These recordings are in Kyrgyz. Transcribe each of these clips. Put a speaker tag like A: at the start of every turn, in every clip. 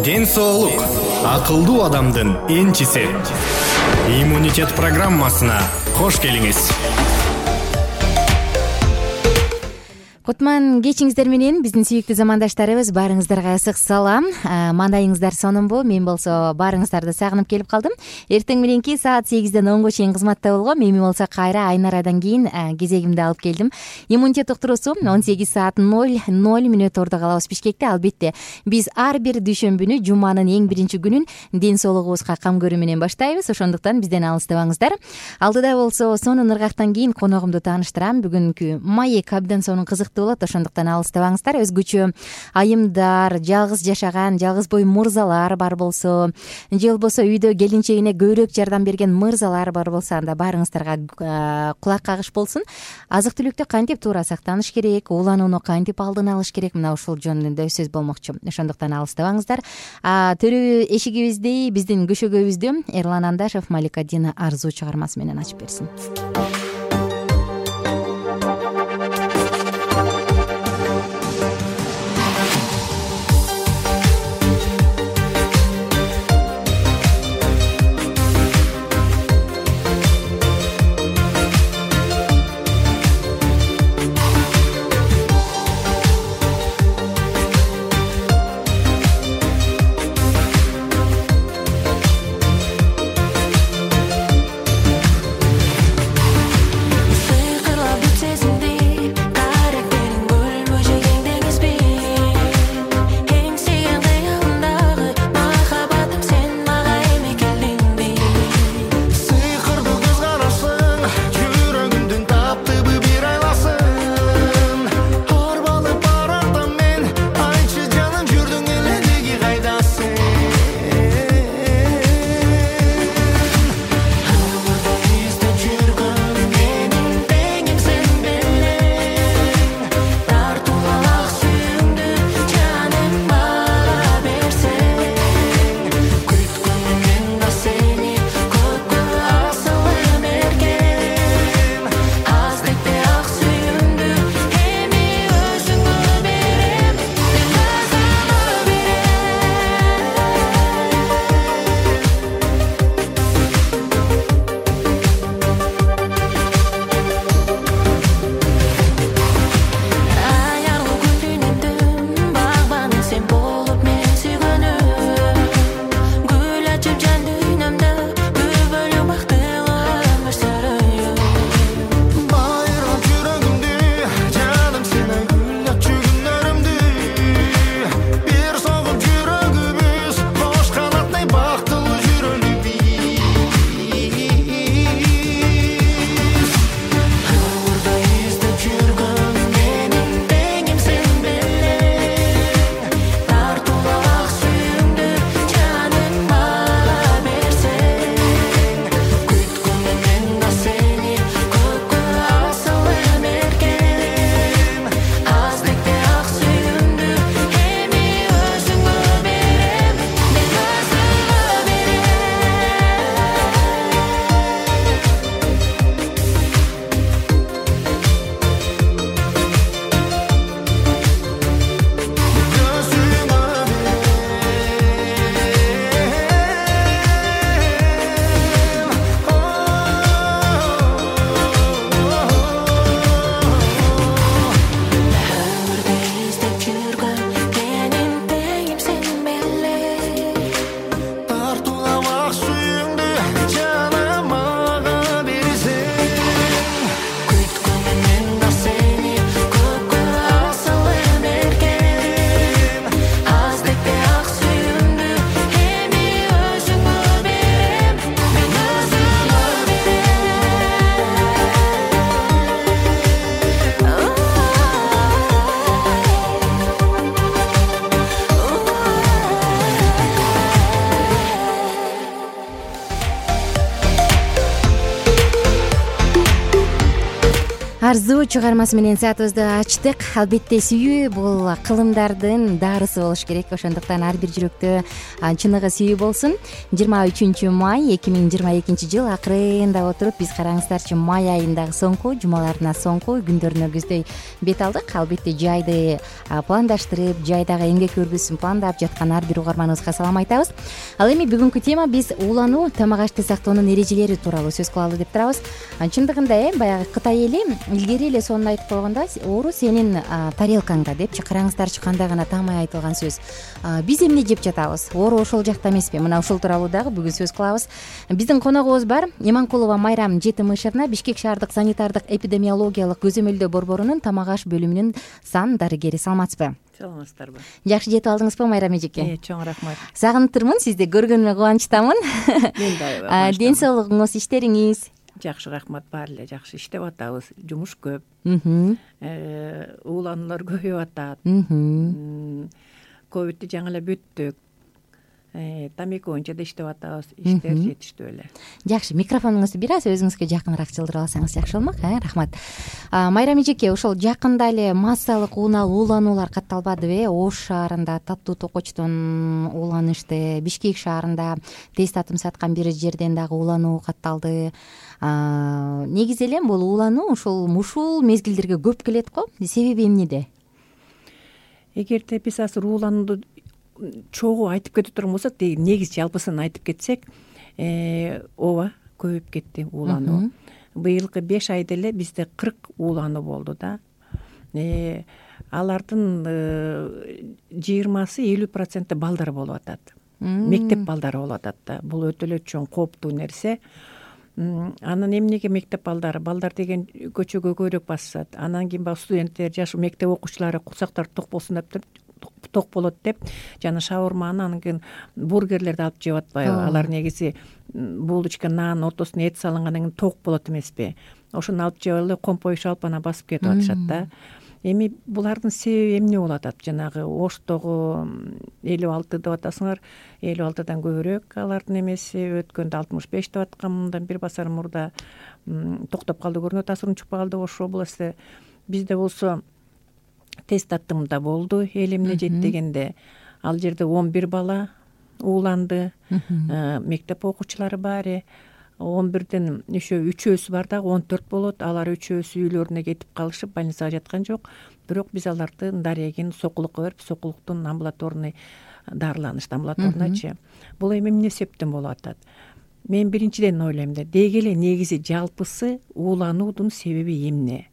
A: Ден соолук акылдуу адамдын энчиси. Иммунитет программасына кош келиңиз.
B: Кутман кечиңиздер менен биздин сүйүктүү замандаштарыбыз, баарыңыздарга ысык салам. Мандайыңыздар сонунбу? Мен болсо баарыңыздарды сагынып келип калдым. Эртең мененки саат 8ден 10го чейин кызматта болгом. Эми болсо кайра Айнарадан кийин кезегимди алып келдим. Иммунитет уктуруусу 18 саат 00 ордо калабыз Бишкекте. Албетте, биз ар бир дүйшөмбүнү жуманын эң биринчи күнүн ден соолугубузга кам көрүү менен баштайбыз. Ошондуктан бизден алыстабаңыздар. Алдыда болсо сонун ыргактан кийин коногумду тааныштырам. Бүгүнкү маек абдан сонун кызык болот, ошондуктан алыстабаңыздар. Өзгөчө айымдар, жалгыз жашаган, жалгыз бой мырзалар бар болсо, же болбосо үйдө келинчегине көбүрөөк жардам берген мырзалар бар болсо, анда баарыңыздарга кулак кагыш болсун. Азык-түлүктү кантип туура сактаныш керек, ууланууну кантип алдын алыш керек, мына ушул жөнүндө сөз болмокчу. Ошондуктан алыстабаңыздар. Төрү эшигибизди биздин көшөгөбүздү Эрлан Андашев Малика Дина Арзуу чыгармасы менен ачып берсин. арзуу чыгармасы менен саатыбызды ачтык. Албетте сүйүү бул кылымдардын дарысы болуш керек, ошондуктан ар бир жүрөктө чыныгы сүйүү болсун. 23 май 2022 жыл акырында отуруп биз караңыздарчы май айындагы соңку жумаларына, соңку күндөрүнө көздөй бет алдык. Албетте жайды пландаштырып, жайдагы эмгек өргүсүн пландап жаткан ар бир угарманыбызга салам айтабыз. Ал эми бүгүнкү тема биз уулануу, тамак ашты сактоонун эрежелери тууралуу сөз кылалы деп турабыз. Чындыгында баягы Кытай эли илгери эле сонун айтып койгондо, оору сенин тарелкаңда депчи, караңыздарчы кандай гана таамай айтылган сөз. Биз эмне жеп жатабыз? Оору ошол жакта эмеспи? Мына ушул тууралуу дагы бүгүн сөз кылабыз. Биздин коногубуз бар. Иманкулова Майрам Жетимишевна, Бишкек шаардык санитардык эпидемиологиялык көзөмөлдөө борборунун тамак аш бөлүмүнүн сан дарыгери. Саламатсызбы?
C: Саламатсыздарбы?
B: Жакшы жетип алдыңызбы, Майрам эжеке?
C: Чоң рахмат.
B: Сагынып турмун, сизди көргөнүмө кубанычтамын.
C: Мен да.
B: Ден соолугуңуз, иштериңиз?
C: Жакшы, рахмат. Баары эле жакшы иштеп атабыз. Жумуш көп. Уулануулар көбөйүп атат. Ковидти жаңы эле бүттүк. Тамеки боюнча да иштеп атабыз. Иштер жетиштүү эле. Жакшы,
B: микрофонуңузду бир аз өзүңүзгө жакыныраак жылдырып алсаңыз жакшы болмок. Рахмат. Майрам эжеке, ошол жакында эле массалык уулануулар катталбадыбы? Ош шаарында Таттуу Токочтон ууланышты, Бишкек шаарында тест татым саткан бир жерден дагы уулануу катталды. Негизи эле бул уулануу ушул мезгилдерге көп келет го. Себеби эмнеде?
C: Эгерде биз азыр ууланууду чогуу айтып кете турган болсок, негиз жалпысын айтып кетсек, ооба көбөйүп кетти уулануу. Быйылкы 5 айда эле бизде 40 уулануу болду да. Алардын 20-50% балдар болуп атат. Мектеп балдары болуп атат да. Бул өтө эле чоң кооптуу нерсе. Анан эмнеге мектеп балдар деген көчөгө көбүрөөк басышат. Анан кийин баягы студенттер, жаш мектеп окуучулары курсактары ток болсун деп ток болот деп жана шаурманы, анан кийин бургерлерди алып жеп атпайбы? Алар негизи булочка, нан ортосуна эт салынгандан кийин ток болот эмеспи? Ошону алып жеп эле компой шалпана басып кетип атышат да. Эми булардын себеби эмне болуп атат? Жанагы Оштогу 56 деп атасыңар, 56дан көбүрөөк алардын эмеси, өткөндө 65 деп аткан, мындан бир басар мурда токтоп калды көрүнөт, асырын чыкпай калды Ош областы. Бизде болсо тест таттымда болду, эл эмне жейт дегенде, ал жерде 11 бала ууланды, мектеп окуучулары баары. 11ден үчөөсү бар дагы 14 болот. Алар үчөөсү үйлөрүнө кетип калышып, больницага жаткан жок. Бирок биз алардын дарегин сокулукка берип, сокулуктун амбулаторный дарыланышты, амбулаторныйчы. Бул эми эмне себептен болуп атат? Мен биринчиден ойлойм да, деги эле негизи жалпысы уулануудун себеби эмне?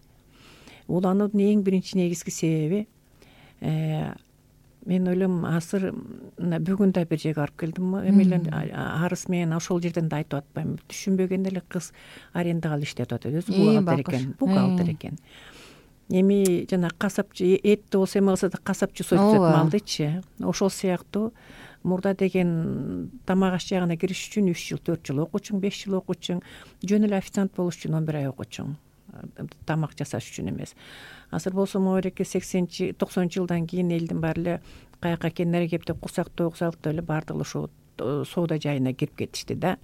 C: Уулануудун эң биринчи негизги себеби, мен ойлойм, азыр бүгүн да бир жерге барып келдим, эмелер арыз менен ошол жерден да айтып атпайм. Түшүнбөгөн эле кыз арендага алып иштеп атат, өзү бухгалтер экен. Эми жана касапчы, этти болсо эме кылса да касапчы сойтуп малдычы. Ошол сыяктуу мурда деген тамак аш жагына кириш үчүн 3 жыл, 4 жыл окучуң, 5 жыл окучуң, жөн эле официант болуш үчүн 11 ай окучуң, тамак жасаш үчүн эмес. Азыр болсо могереке 80-90 жылдан кийин элдин баары эле каяка экенин кептеп, курсак тойгузалыктап эле баардыгы ошо соода жайына кирип кетишти да.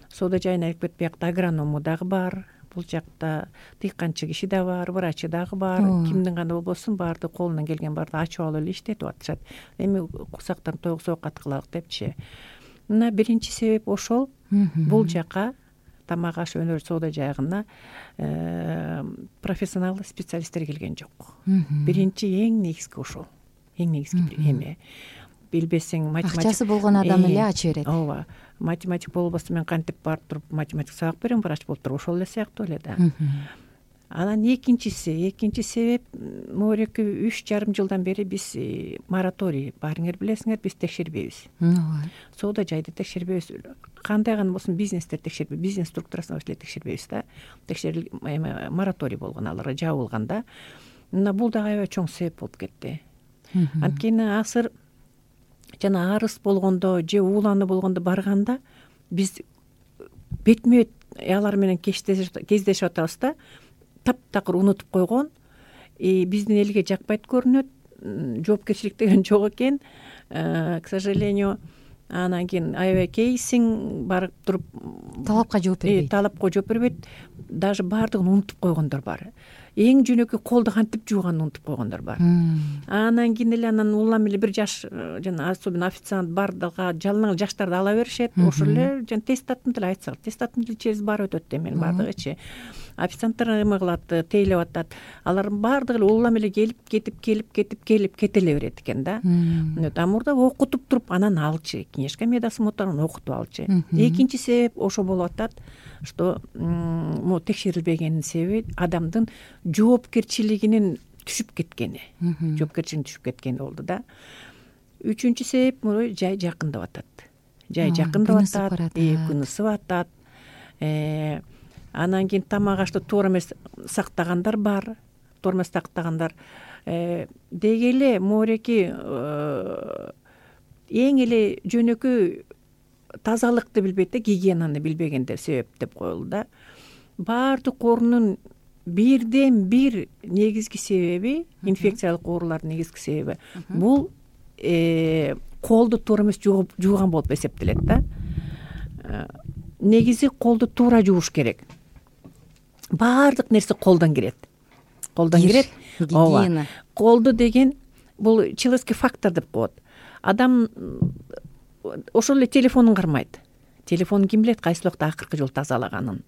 C: Соода жайына кирип кетип, биякта агроному дагы бар, бул жакта дыйканчы киши да бар, врачы дагы бар. Кимдин гана болбосун, баардыгы колунан келген баардыгы ачып алып эле иштетип атышат. Эми курсактан тойгузуп кат кылалык депчи. Мына биринчи себеп ошол. Бул жака тамак аш өнөр соода жайына профессионал специалисттер келген жок. Биринчи эң негизги ошол. Эң негизги эме. Билбесең математик,
B: акчасы болгон адам эле ачы берет.
C: Ооба. Математик болбосо мен кантип барып туруп математик сабак берем, врач болуп туруп, ошол эле сыяктуу эле да. Анан экинчи себеп, могереки 3,5 жылдан бери биз мораторий, баарыңар билесиңер, биз текшербейбиз. Соода жайды текшербейбиз. Кандай гана болсун бизнестер текшербейбиз, бизнес структурасын эле текшербейбиз да. Мораторий болгон, аларга жабылган да. Мына бул дагы аябай чоң себеп болуп кетти. Анткени азыр жана арыз болгондо же уулануу болгондо барганда биз бетме бет алар менен кездешип атабыз да. Таптакыр унутуп койгон, биздин элге жакпайт көрүнөт, жоопкерчилик деген жок экен, к сожалению. Анан кийин аябай кейсиң барып туруп
B: талапка жооп бербейт.
C: Талапка жооп бербейт. Даже баардыгын унутуп койгондор бар. эң жөнөкөй колду кантип жууганды унутуп койгондор бар. Анан кийин эле анан улам эле бир жаш жана особенно официант бардыга жалаң жаштарды ала беришет. Ошол эле жана тестаттын тили айтсак, тестаттын тили через барып өтөт да эми бардыгычы. Официанттар эме кылат, тейлеп атат. Алардын бардыгы эле улам эле келип кете эле берет экен да. А мурда окутуп туруп анан алчы, книжка медосмотрун окутуп алчы. Экинчи себеп ошо болуп атат, что могу текшерилбегенин себеби адамдын жоопкерчилигинин түшүп кеткени болду да. Үчүнчү себеп жай жакындап атат. Күн ысып атат. Анан кийин тамак ашты туура эмес сактагандар бар. Туура эмес сактагандар деги эле мореки эң эле жөнөкөй тазалыкты билбейт да, гигиенаны билбегендер себеп деп коелду да. Баардык оорунун бирден бир негизги себеби, инфекциялык оорулардын негизги себеби бул колду туура эмес жууган болуп эсептелет да. Негизи колду туура жууш керек. Баардык нерсе колдон кирет.
B: Гигиена.
C: Колду деген бул человеческий фактор деп коет. Адам ошол эле телефонун кармайт. Телефонун ким билет кайсы убакта акыркы жолу тазалаганын.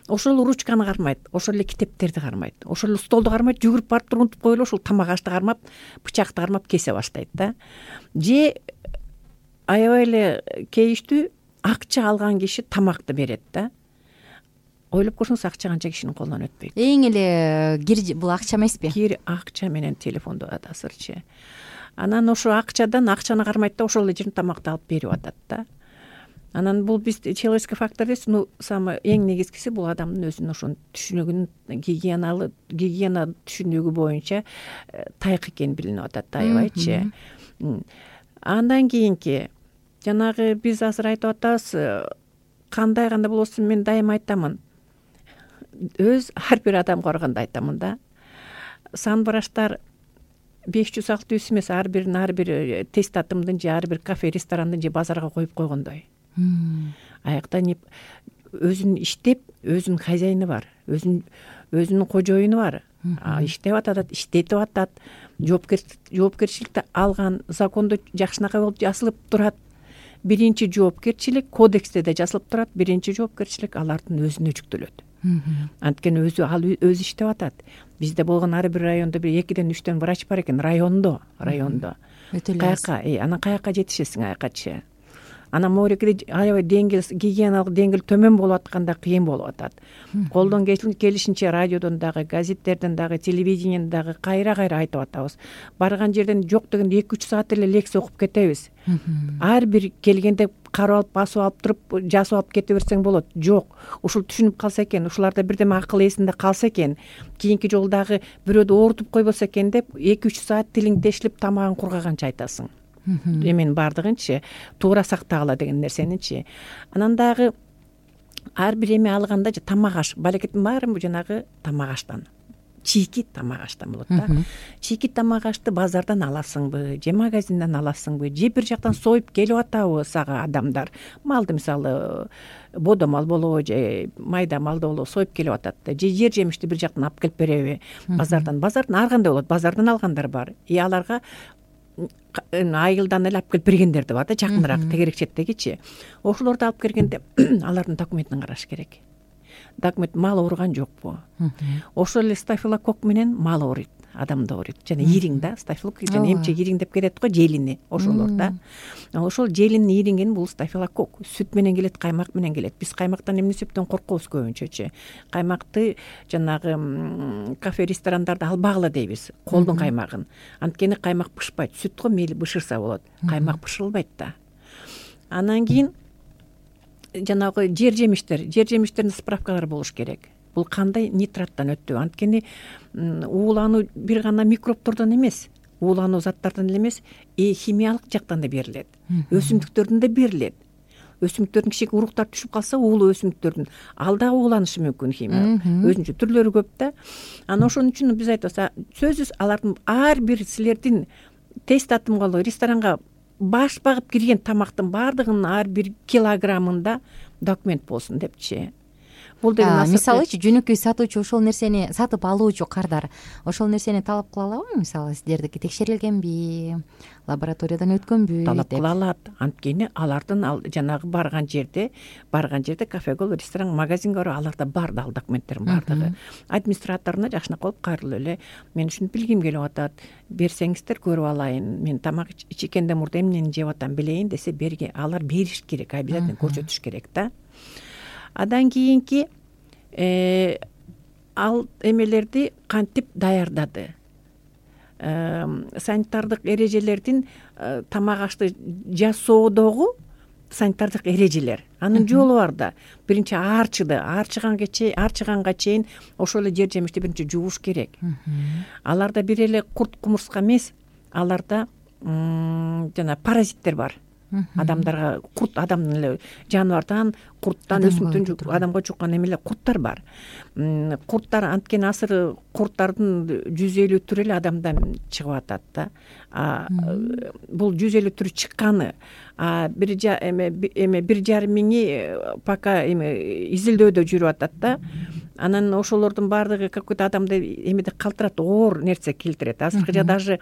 C: Ошол эле ручканы кармайт, ошол эле китептерди кармайт, ошол эле столду кармайт, жүгүрүп барып туруп унутуп коелу, ошол тамак ашты кармап, бычакты кармап кесе баштайт да. Же аябай эле кейиштүү акча алган киши тамакты берет да. Ойлоп көрсөңүз, акча канча кишинин колунан өтпөйт.
B: Эң эле кир бул акча эмеспи?
C: Кир акча менен телефонду атасырчы. Анан ошо акчаны кармайт да, ошол эле жерден тамакты алып берип атат да. Анан бул биз человеческий фактор дейбиз, самый эң негизгиси бул адамдын өзүнүн ошо түшүнүгүнүн гигиена түшүнүгү боюнча тайык экени билинип атат, аябайчы. Андан кийинки жанагы биз азыр айтып атабыз, кандай болбосун, мен дайыма айтамын. Ар бир адамга барганда айтамын да. Санбараштар 500-600 эмес, ар бир тест атымдын же ар бир кафе, ресторандын же базарга коюп койгондой. Аякта өзүн иштеп, өзүнүн хозяйны бар, өзүнүн кожоюну бар. Иштеп атат, иштетип атат, жоопкерчиликти алган, закондо жакшынакай болуп жазылып турат. Биринчи жоопкерчилик кодексте да жазылып турат, биринчи жоопкерчилик алардын өзүнө жүктөлөт. Анткени өзү иштеп атат. Бизде болгон ар бир райондо 2-3 врач бар экен, райондо. Каяка, анан каяка жетишесиң аякачы. Анан морекиде аябай гигиеналык деңгэл төмөн болуп атканда кыйын болуп атат. Колдон келишинче радиодон дагы, газеттерден дагы, телевидениеден дагы кайра айтып атабыз. Барган жерден жок дегенде 2-3 саат эле лекция окуп кетебиз. Ар бир келгенде карап алып, басып алып туруп, жазып алып кете берсең болот. Жок, ушул түшүнүп калса экен, ушуларда бирдеме акыл эсинде калса экен, кийинки жолу дагы бирөөдү оорутуп койбосо экен деп 2-3 саат тилиң тешилип тамагың кургаганча айтасың. Эмен бардыгынчы туура сактагыла деген нерсеничи. Анан дагы ар бир эме алганда тамак аш, балекеттин баары жанагы тамак аштан. Чийки тамак аштан болот да. Чийки тамак ашты базардан аласыңбы, же магазинден аласыңбы, же бир жактан союп келип атабы сага адамдар. Малды мисалы бодо мал болобу, же майда малды болобу союп келип атат да. Же жер жемишти бир жактан алып келип береби базардан. Базардан ар кандай болот, базардан алгандар бар. Аларга айылдан эле алып келип бергендер да бар да, жакыныраак тегерек четтегичи. Ошолорду алып келгенде алардын документин караш керек. Документ мал ооруган жокпу? Ошол эле стафилококк менен мал ооруйт, адамды ооруйт. Жана ириң да, стафилококк жана эмче ириң деп кетет го, желини ошолор да. Ошол желинин ириңин бул стафилококк. Сүт менен келет, каймак менен келет. Биз каймактан эмне себептен коркобуз көбүнчөчү? Каймакты жанагы кафе, ресторандарда албагыла дейбиз, колдун каймагын. Анткени каймак бышпайт, сүт го мейли бышырса болот. Каймак бышырылбайт да. Анан кийин жанагы жер жемиштердин справкалары болуш керек. Бул кандай нитраттан өттү? Анткени уулануу бир гана микробтордон эмес, уулануу заттардан эле эмес, химиялык жактан да берилет. Өсүмдүктөрдөн да берилет. Өсүмдүктөрдүн кичине уруктар түшүп калса, уулуу өсүмдүктөрдүн ал дагы ууланышы мүмкүн химиялык. Өзүнчө түрлөрү көп да. Анан ошон үчүн биз айтабыз, сөзсүз алардын ар бир силердин тест атымга, ресторанга баш багып кирген тамактын баардыгынын ар бир килограммында документ болсун депчи. бул деген
B: мисалычы жөнөкөй сатуучу ошол нерсени сатып алуучу кардар ошол нерсени талап кыла алабы? Мисалы сиздердики текшерилгенби, лабораториядан өткөнбү
C: талап кыла алат. Анткени алардын жанагы барган жерде кафего, ресторан, магазинге барып аларда бар ал документтер бардыгы. Администраторуна жакшынакай болуп кайрылып эле мен ушуну билгим келип атат, берсеңиздер көрүп алайын, мен тамак ичкенден мурда эмнени жеп атам билейин десе алар бериш керек, обязательно көрсөтүш керек да. Адан кийинки ал эмелерди кантип даярдады, санитардык эрежелердин тамак ашты жасоодогу санитардык эрежелер, анын жолу бар да. Биринчи аарчыганга чейин ошол эле жер жемишти биринчи жууш керек. Аларда бир эле курт кумурска эмес, аларда жана паразиттер бар. Адамдарга курт, адамдын эле жаныбардан, курттан, өсүмдүктөн адамга жуккан эмелер, курттар бар. Курттар анткени азыр курттардын 150 түрү эле адамдан чыгып атат да. Бул 150 түрү чыкканы, 1,5 миңи пока изилдөөдө жүрүп атат да. Анан ошолордун баардыгы какой-то адамды эмеде калтырат, оор нерсе келтирет. Азыркы даже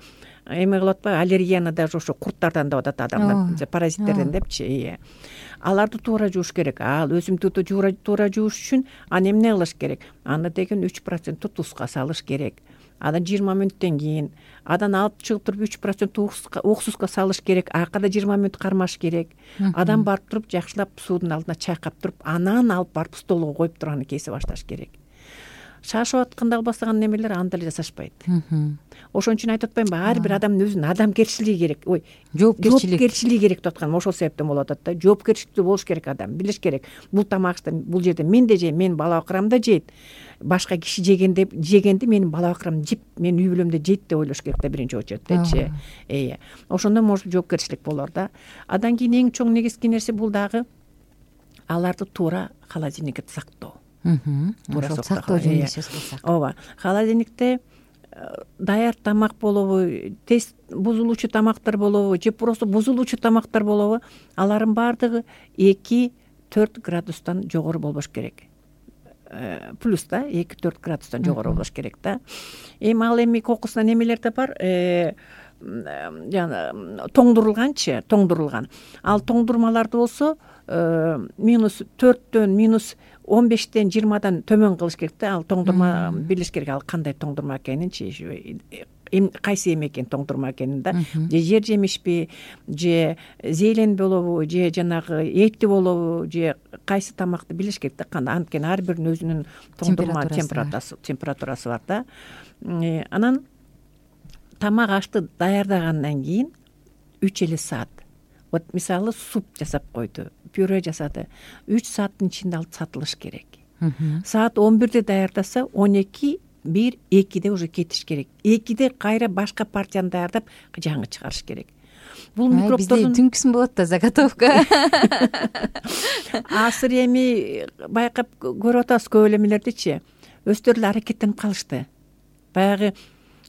C: эме кылып атпайбы, аллергияны даже ошо курттардан деп атат адамдар, паразиттерден депчи. Аларды туура жууш керек. Ал өсүмдүктү туура жууш үчүн аны эмне кылыш керек? Аны деген 3% тузга салыш керек. Анан 20 мүнөттөн кийин адан алып чыгып туруп 3% уксуска салыш керек. Акырда 20 мүнөт кармаш керек. Адам барып туруп жакшылап суудун алдына чайкап туруп, анан алып барып столго коюп туруп аны кесип башташ керек. Шашып атканда албастаган немелер анда эле жасашпайт. Ошон үчүн айтып атпаймынбы, ар бир адамдын өзүнүн адамгерчилиги керек. Жоопкерчилиги керек деп атканым ошол себептен болуп атат да. Жоопкерчиликтүү болуш керек адам, билиш керек. Бул тамакты бул жерде мен да жейм, менин бала бакырам да жейт. Башка киши жегенди менин бала бакырам жеп, менин үй бүлөмдө жейт деп ойлош керек да биринчи очередтечи. Ошондо может жоопкерчилик болор да. Андан кийин эң чоң негизги нерсе бул дагы аларды туура холодильникте сактоо.
B: Туура сактоо жөнүндө сөз кылсак.
C: Ооба. Холодильникте даяр тамак болобу, тез бузулуучу тамактар болобу, же просто бузулуучу тамактар болобу, алардын баардыгы 2-4 градустан жогору болбош керек. Плюс да, 2-4 градустан жогору болбош керек да. Ал кокусунан эмелер да бар, тоңдурулган. Ал тоңдурмаларды болсо -4-төн, -15-тен, 20-дан төмөн кылыш керек да. Ал тоңдурма билиш керек, ал кандай тоңдурма экенинчи, кайсы эме экен тоңдурма экенин да. Же жер жемишпи, же зелень болобу, же жанагы эти болобу, же кайсы тамакты билиш керек да. Анткени ар биринин өзүнүн тоңдурма температурасы бар да. Анан тамак ашты даярдагандан кийин 3 эле саат. Вот мисалы суп жасап койду, пюре жасады. 3 сааттын ичинде алып сатылыш керек. Саат 11-де даярдаса, 12-1-2-де уже кетиш керек. 2-де кайра башка партияны даярдап, жаңы чыгарыш керек. Бул микробтордун
B: бизде түнкүсүн болот да заготовка.
C: Азыр эми байкап көрүп атабыз көп элемелердичи. Өздөрү эле аракеттенип калышты. Баягы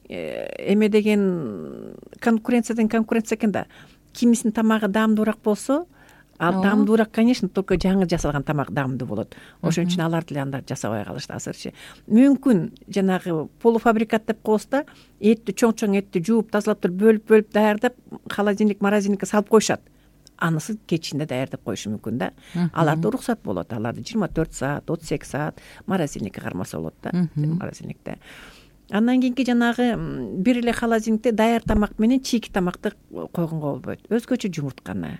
C: эме деген конкуренция экен да. Кимисинин тамагы даамдуураак болсо, ал даамдуураак, конечно, только жаңы жасалган тамак даамдуу болот. Ошон үчүн аларды эле анда жасабай калышты азырчы. Мүмкүн жанагы полуфабрикат деп коебуз да, этти чоң этти жууп, тазалап туруп, бөлүп даярдап, холодильник, морозильникке салып коюшат. Анысы кечинде даярдап коюшу мүмкүн да. Аларда уруксат болот. Аларды 24 саат, 38 саат морозильникке кармаса болот да, морозильникте. Андан кийинки жанагы бир эле холодильникте даяр тамак менен чийки тамакты койгонго болбойт. Өзгөчө жумуртканы.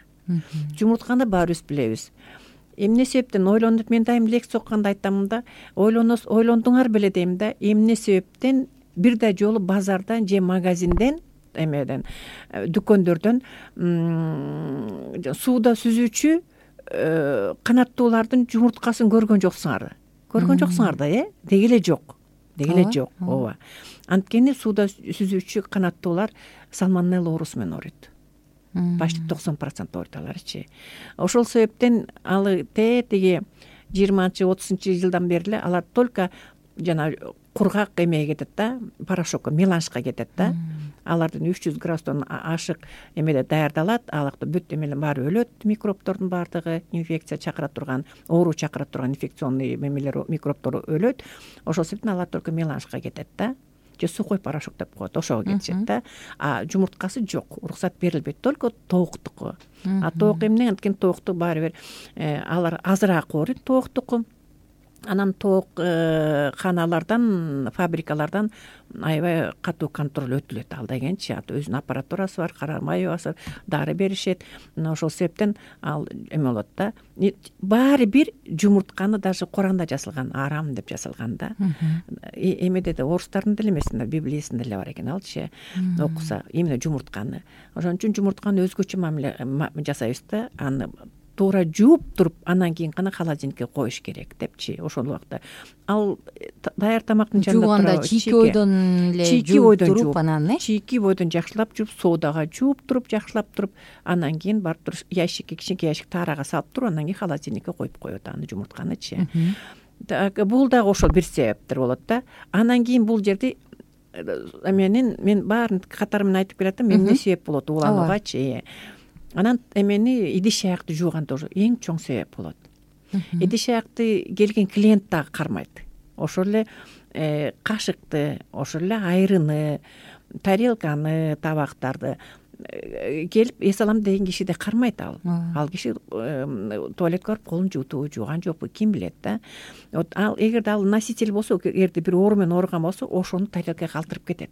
C: Жумуртканы баарыбыз билебиз. Эмне себептен ойлонуп, мен дайым лекция окуганда айтамын да, ойлондуңар беле дейм да, эмне себептен бир да жолу базардан же магазинден, эмеден, дүкөндөрдөн сууда сүзүүчү канаттуулардын жумурткасын көргөн жоксуңар. Көргөн жоксуңар да, деги эле жок. Ооба. Анткени сууда сүзүүчү канаттуулар сальмонелла оорусу менен ооруйт. Почти 90% ооруйт аларчы. Ошол себептен алы тиги 20-30 жылдан бери эле алар только жана кургак эмеге кетет да, порошокко, меланжка кетет да. Алардын 300 градустан ашык эмеде даярдалат. Алакта бүт эмелер баары өлөт, микробтордун баардыгы, инфекция чакыра турган, оору чакыра турган инфекционный эмелер, микробтор өлөт. Ошол себептен алар только меланжка кетет да. Же сухой порошок деп коет, ошого кетишет да. А жумурткасы жок, уруксат берилбейт, только тооктуку. А тоок эмне, анткени тоокту баары бир алар азыраак ооруйт тооктуку. Анан тоок каналардан, фабрикалардан аябай катуу контроль өтүлөт. Ал дегенчи өзүнүн аппаратурасы бар, карамайбасы бар, дары беришет. Ошол себептен ал эме болот да. Баары бир жумуртканы даже Куранда жазылган, арам деп жазылган да. Эмеде да орустардын деле эмес, Библиясында деле бар экен алчы. Окуса именно жумуртканы. Ошон үчүн жумуртканы өзгөчө мамиле жасайбыз да. Аны туура жууп туруп, анан кийин гана холодильникке коюш керек депчи. Ошол убакта ал даяр тамактын жанында
B: жууганда чийки ойдон эле жууп туруп, анан
C: чийки бойдон жакшылап жууп, соодага жууп туруп, жакшылап туруп, анан кийин барып туруп ящикке, кичинекей ящик таарага салып туруп, анан кийин холодильникке коюп коет аны жумуртканычы. Бул дагы ошол бир себептер болот да. Анан кийин бул жерде мен баарын катары менен айтып келатам, эмне себеп болот уулануугачы. Анан эмени идиш аякты жууган тоже эң чоң себеп болот. Идиш аякты келген клиент дагы кармайт. Ошол эле кашыкты, ошол эле айрыны, тарелканы, табактарды келип эс алам деген киши да кармайт ал. Ал киши туалетке барып колун жууту, жууган жокпу, ким билет да. Вот ал эгерде ал носитель болсо, эгерде бир оору менен ооруган болсо, ошону тарелкага калтырып кетет.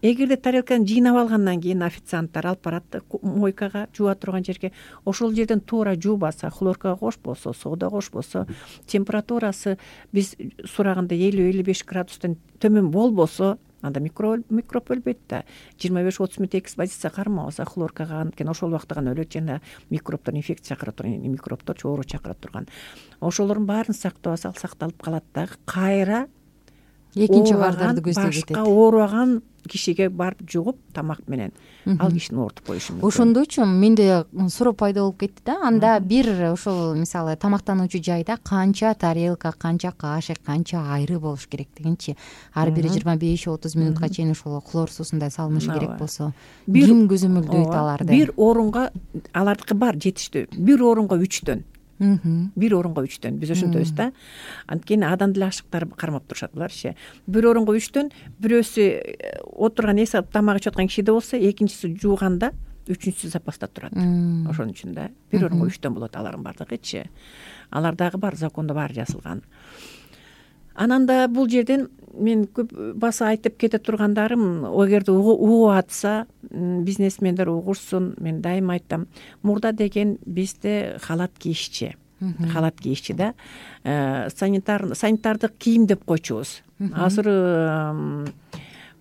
C: Эгерде тарелканы жыйнап алгандан кийин официанттар алып барат мойкага, жууа турган жерге, ошол жерден туура жуубаса, хлорка кошпосо, сода кошпосо, температурасы биз сураганда 50-55 градустан төмөн болбосо, анда микроб өлбөйт да. 25-30 мүнөт экспозиция кармабаса хлоркага, анткени ошол убакта гана өлөт, жана микробтор, инфекция чакыра турган, микробтор оору чакыра турган. Ошолордун баарын сактабаса, ал сакталып калат дагы. Кайра
B: экинчи кардарды көздөй кетет.
C: Башка ооруган кишиге барып жугуп тамак менен ал кишини оорутуп коюшу мүмкүн.
B: Ошондойчу менде суроо пайда болуп кетти да. Анда бир ошол мисалы тамактануучу жайда канча тарелка, канча кашык, канча айры болуш керек дегенчи. Ар бири 25-30 мүнөткө чейин ошол хлор суусундай салынышы керек болсо, ким көзөмөлдөйт аларды?
C: Бир орунга алардыкы бар жетиштүү. Бир орунга 3төн. Бир орунга 3төн биз ошентебиз да. Анткени адам деле ашыктар кармап турушат буларчы. Бир орунга 3төн, бирөөсү отурган эс алып тамак ичип аткан кишиде болсо, экинчиси жууганда, үчүнчүсү запаста турат. Ошон үчүн да бир орунга 3төн болот алардын бардыгычы. Алар дагы бар, закондо баары жазылган. Анан да бул жерден мен көп баса айтып кете тургандарым, эгерде угуп атса, бизнесмендер угушсун, мен дайыма айтам, мурда деген бизде халат кийишчи. Халат кийишчи да. Санитардык кийим деп койчубуз. Азыр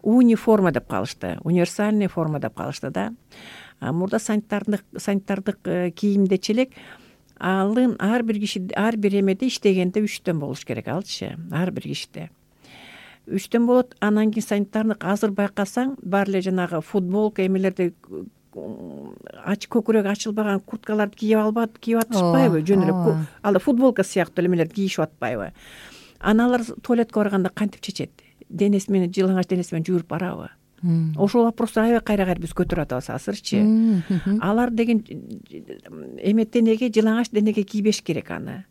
C: униформа деп калышты, универсальный форма деп калышты да. Мурда санитардык кийимдечи элек алын ар бир киши, ар бир эмеде иштегенде 3төн болуш керек алчы, ар бир кишиде 3төн болот. Анан кийин санитардык азыр байкасаң, бар эле жанагы футболка эмелерди көкүрөк ачылбаган курткаларды кийип атышпайбы, жөн эле ал футболка сыяктуу эмелерди кийишип атпайбы. Аналар туалетке барганда кантип чечет? Денеси менен, жылаңач денеси менен жууруп барабы? Ошол вопросту аябай кайра биз көтөрүп атабыз азырчы. Алар деген эме денеге, жылаңач денеге кийбеш керек аны.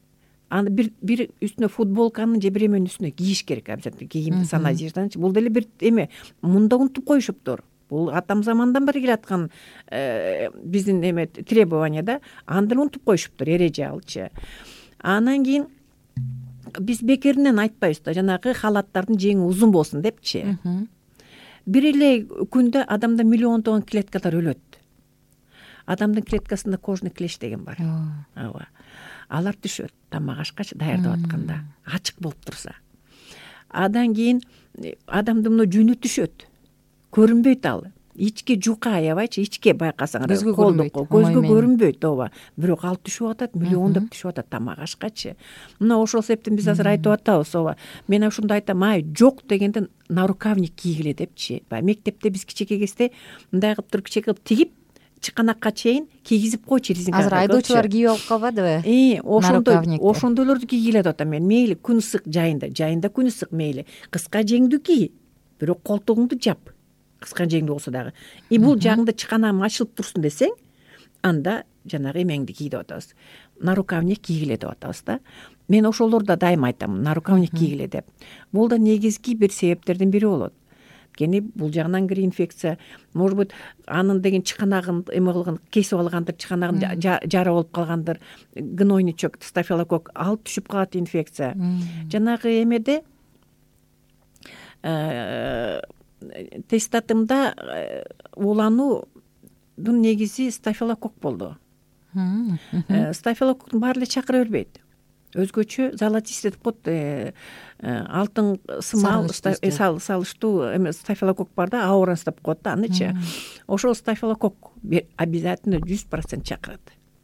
C: Аны бир үстүнө футболканын же бир эменин үстүнө кийиш керек, обязательно кийимди санажирдан. Бул деле бир эме мында унутуп коюшуптур. Бул атам замандан бери келаткан биздин эме требование да, аны деле унутуп коюшуптур, эреже алчы. Анан кийин биз бекеринен айтпайбыз да, жанагы халаттардын жеңи узун болсун депчи. Бир эле күндө адамда миллиондогон клеткалар өлөт. Адамдын клеткасында кожный клещ деген бар. Ооба. Алар түшөт тамак ашкач даярдап атканда, ачык болуп турса. Андан кийин адамдын мына жүнү түшөт. Көрүнбөйт ал. Ичке жука аябайчы, ичке байкасаңар, көзгө көрүнбөйт, ооба. Бирок ал түшүп атат, миллиондоп түшүп атат тамак ашкачы. Мына ошол себептен биз азыр айтып атабыз, ооба. Мен ушундай айтам, жок дегенде нарукавник кийгиле депчи. Мектепте биз кичике кезде мындай кылып туруп, кичике кылып тигип, чыканакка чейин кийгизип койчу резинка.
B: азыр айдоочулар кийип алып калбадыбы?
C: Ошондойлорду кийгиле деп атам мен. Мейли күн ысык жайында күн ысык мейли. Кыска жеңдүү кий, бирок колтугуңду жап. Кыска жеңдүү болсо дагы. Бул жагыңда чыканагым ачылып турсун десең, анда жанагы эмеңди кий деп атабыз. Нарукавник кийгиле деп атабыз да. Мен ошолорду дайыма айтам, нарукавник кийгиле деп. Бул да негизги бир себептердин бири болот. Анткени бул жагынан кире инфекция, может быть, анын деген чыканагын эме кылган, кесип алгандыр, чыканагын жара болуп калгандыр, гнойничок, стафилококк алып түшүп калат инфекция. Жанагы эмеде тестатымда улануудун негизи стафилококк болду. Стафилококктун баары эле чакыра бербейт. Өзгөчө золотистый деп коет, алтын сымал салыштуу эме стафилококк бар да, ауренс деп коет да, анычы. Ошол стафилококк обязательно 100% чакырат.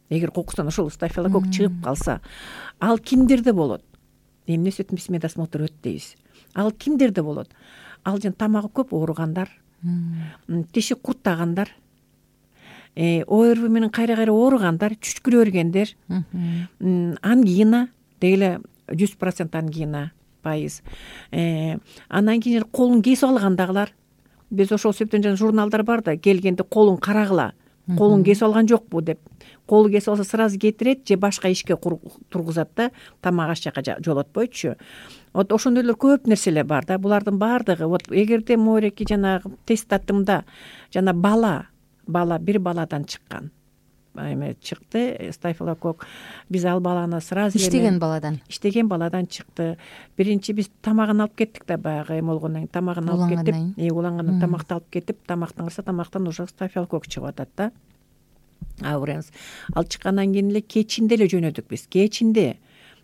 C: Эгер кокусунан ошол стафилококк чыгып калса, ал кимдерде болот? Эмне өтмөс медосмотр өт дейбиз. Ал кимдерде болот? Ал жана тамагы көп ооругандар, тиши курттагандар, ОРВ менен кайра ооругандар, чүчкүрө бергендер, ангина деги 100% ангина пайыз. Андан кийин колун кесип алгандагылар. Биз ошол себептен жана журналдар бар да, келгенде колун карагыла. Колун кесип алган жокпу деп. Колу кесип алса сразу кетирет же башка ишке тургузат да, тамак аш жака жолотпойчу. Вот ошондойлор көп нерселер бар да. Булардын баардыгы вот эгерде мореки жанагы тестатымда жана бала бир баладан чыккан. Эме чыкты стафилококк. Биз ал баланы сразу
B: иштеген баладан
C: чыкты. Биринчи биз тамагын алып кеттик да, баягы эме болгондон кийин тамагын алып кеттик. Улангандан тамакты алып кетип, тамактан караса тамактан уже стафилококк чыгып атат да. Ауренс. Ал чыккандан кийин эле кечинде эле жөнөдүк биз. Кечинде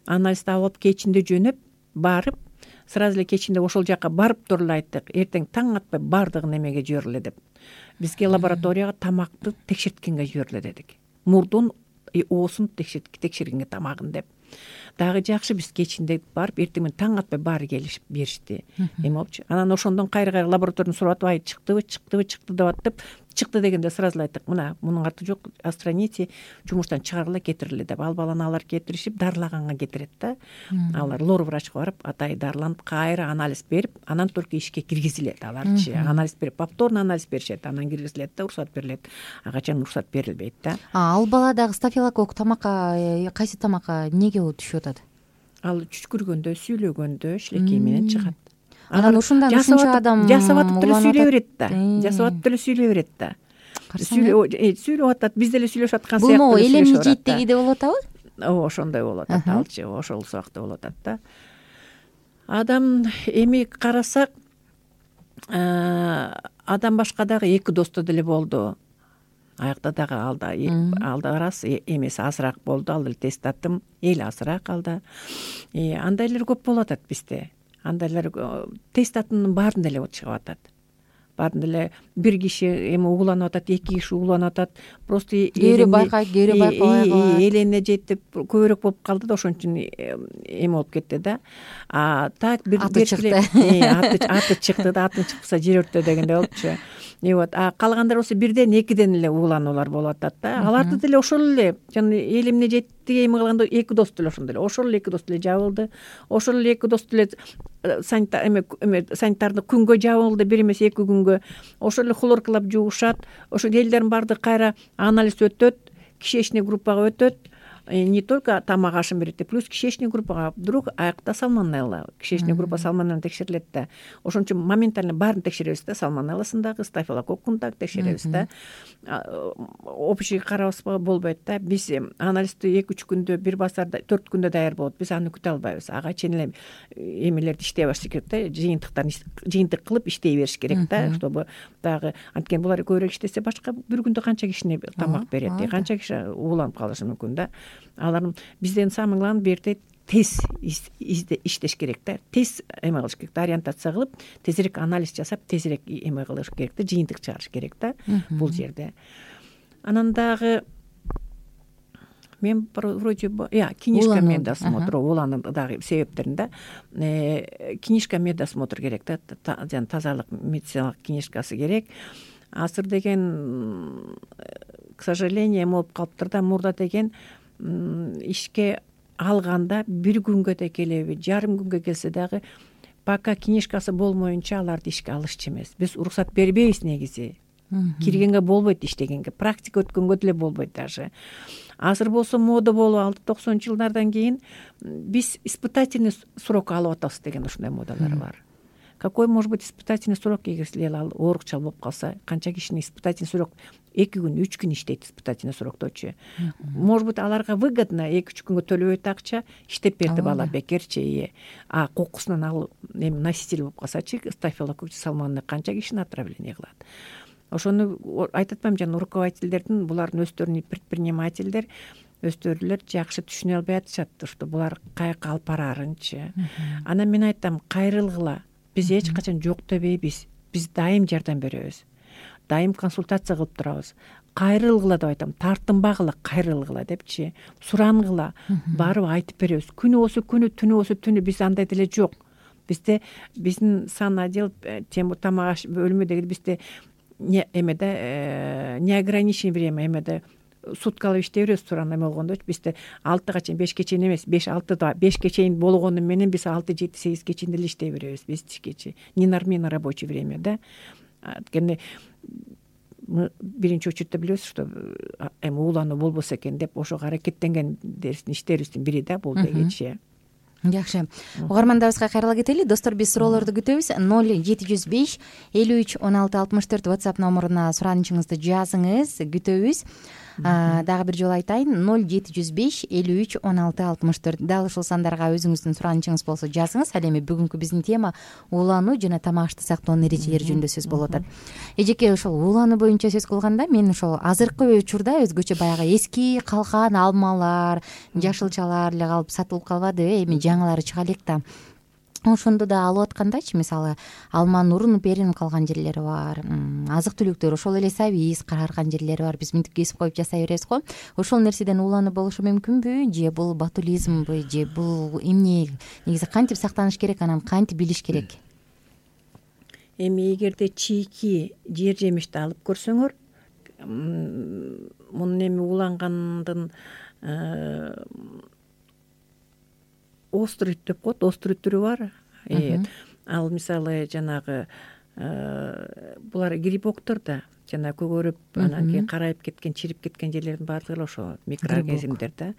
C: анализди алып, кечинде жөнөп барып, сразу эле кечинде ошол жака барып туруп эле айттык, эртең таң атпай баардыгын эмеге жибериле деп. Бизге лабораторияга тамакты текшерткенге жибериле дедик. Мурдун, оосун текшергенге тамагын деп. Дагы жакшы биз кечинде барып, эртең менен таң атпай баары келишип беришти. Эме болчу. Анан ошондон кайра лабораториядан сурап атып, чыкты деп атып, чыкты дегенде сразу эле айттык, мына мунун арты жок, отстраните, жумуштан чыгаргыла, кетириле деп. Ал баланы алар кетиришип, дарылаганга кетирет да. Алар лор врачка барып, атайы дарыланып, кайра анализ берип, анан только ишке киргизилет аларчы. Анализ берип, повторно анализ беришет, анан киргизилет да, уруксат берилет. Ага чейин уруксат берилбейт да.
B: Ал баладагы стафилококк тамакка, кайсы тамакка эмнеге түшүп атат?
C: Ал чүчкүргөндө, сүйлөгөндө шилекей менен чыгат.
B: Анан ушундан ушунча адам
C: жасап атып деле сүйлөй берет да. Жасап атып деле сүйлөй берет да. Сүйлөп атат, биз деле сүйлөшүп аткан сыяктуу.
B: Бул элемни жийиттегиде болуп атабы?
C: Ошондой болуп атат, алчы, ошол сыяктуу болуп атат да. Адам эми карасак, адам башка дагы 2 досто деле болду. Аякта дагы алда рас эмеси азыраак болду, ал деле тестатым эл азыраак алда. Андайлар көп болуп атат бизде. Андайлар тестатымдын баарында эле чыгып атат. Баарында эле бир киши эми угуланып атат, 2 киши угуланып атат. Просто
B: кээре байкабай калат.
C: Элене жетип көбүрөөк болуп калды да, ошон үчүн эме болуп кетти да. Так бир аты чыкты да, атын чыкпаса жер өрттө дегендей болупчу. Вот, калгандар болсо бирден 2ден эле угулануулар болуп атат да. Аларды деле ошол эле жана эл эмне жетти эме кылганда 2 дос деле ошондой эле. Ошол эле 2 дос деле жабылды. Ошол эле 2 дос деле санитардык күнгө жабылды, бир эмес 2 күнгө. Ошол эле хлоркалап жуушат. Ошол элдердин баардыгы кайра анализ өтөт, кишечный группага өтөт. Не только тамак ашын берет, плюс кишечный группага вдруг аякта салмонелла, кишечный группа салмонелла текшерилет да. Ошон үчүн моментально баарын текшеребиз да, салмонелласын дагы, стафилококкун дагы текшеребиз да. Общий карабызга болбойт да. Биз анализди 2-3 күндө, бир базарда 4 күндө даяр болот. Биз аны күтө албайбыз. Ага чейин эле эмелерди иштей башташ керек да, жыйынтык кылып иштей бериш керек да, чтобы дагы анткени булар көбүрөөк иштесе башка бир күндө канча кишине тамак берет, канча киши ууланып калышы мүмкүн да. Алардын бизден самый главный берде тез иштеш керек да. Тез эме кылыш керек да, ориентация кылып, тезирээк анализ жасап, тезирээк эме кылыш керек да, жыйынтык чыгарыш керек да бул жерде. Анан дагы мен вроде книжка медосмотр, уланын дагы себептерин да. Книжка медосмотр керек да, жана тазалык медициналык книжкасы керек. Азыр деген к сожалению эме болуп калыптыр да. мурда деген ишке алганда бир күнгө да келеби, жарым күнгө келсе дагы пока книжкасы болмоюнча аларды ишке алышчу эмес. Биз уруксат бербейбиз негизи. Киргенге болбойт, иштегенге, практика өткөнгө деле болбойт даже. Азыр болсо мода болуп алды. 90-жылдардан кийин биз испытательный срок алып атабыз деген ушундай модалар бар. Какой может быть испытательный срок, эгер силер ал оорукчал болуп калса, канча кишинин испытательный срок 2 күн, 3 күн иштейт испытательный срокточу. Может быть аларга выгодно 2-3 күнгө төлөбөйт акча, иштеп берди бала бекерчи. А кокусунан ал эми носитель болуп калсачы, стафилококк салмонелла канча кишини отравление кылат. Ошону айтып атпаймынбы, жана руководительдердин, булардын өздөрүнүн предпринимательдер өздөрүлөр жакшы түшүнө албай атышат, что булар каяка алып бараарынчы. Анан мен айтам, кайрылгыла. Биз эч качан жок дебейбиз. Биз дайым жардам беребиз. Дайым консультация кылып турабыз. Кайрылгыла деп айтам, тартынбагыла, кайрылгыла депчи. Сурангыла, барып айтып беребиз. Күнү болсо күнү, түнү болсо түнү, биз андай деле жок. Бизде биздин сан отдел тамак аш бөлүмү деген бизде эмеде неограниченное время, эмеде суткалап иштей беребиз. Туран эме болгондочу бизде 6-га чейин, 5-ке чейин эмес, 5-6да 5-ке чейин болгону менен биз 6-7-8-ке чейин деле иштей беребиз. Биз тишкечи ненормированное рабочее время да. Анткени биринчи очередте билебиз, что эми уулануу болбосо экен деп ошого аракеттенген иштерибиздин бири да бул дегенчи.
B: Жакшы. Угармандарыбызга кайрыла кетели. Достор, биз суроолорду күтөбүз. 0705 53 16 64 WhatsApp номуруна суранычыңызды жазыңыз, күтөбүз. Дагы бир жолу айтайын, 0705 53 16 64. Дал ушул сандарга өзүңүздүн суранычыңыз болсо жазыңыз. Ал эми бүгүнкү биздин тема уулануу жана тамак ашты сактоонун эрежелери жөнүндө сөз болуп атат. Эжеке, ошол уулануу боюнча сөз кылганда, мен ошол азыркы учурда өзгөчө баягы эски калган алмалар, жашылчалар эле калып сатылып калбадыбы, эми жаңылары чыга элек да. Ошондо да алып аткандачы, мисалы, алманын урунуп беринип калган жерлери бар, азык-түлүктөр ошол эле сабиз карарган жерлери бар. Биз мынтип кесип коюп жасай беребиз го. Ошол нерседен уулануу болушу мүмкүнбү, же бул ботулизмбы, же бул эмне? Негизи кантип сактаныш керек, анан кантип билиш керек?
C: Эми эгерде чийки жер жемишти алып көрсөңөр, мунун эми уулангандын острый деп коет, острый түрү бар. Ал мисалы жанагы булар грибоктор да, жана көгөрүп, анан кийин карайып кеткен, чирип кеткен жерлердин баардыгы ошо микроорганизмдер да.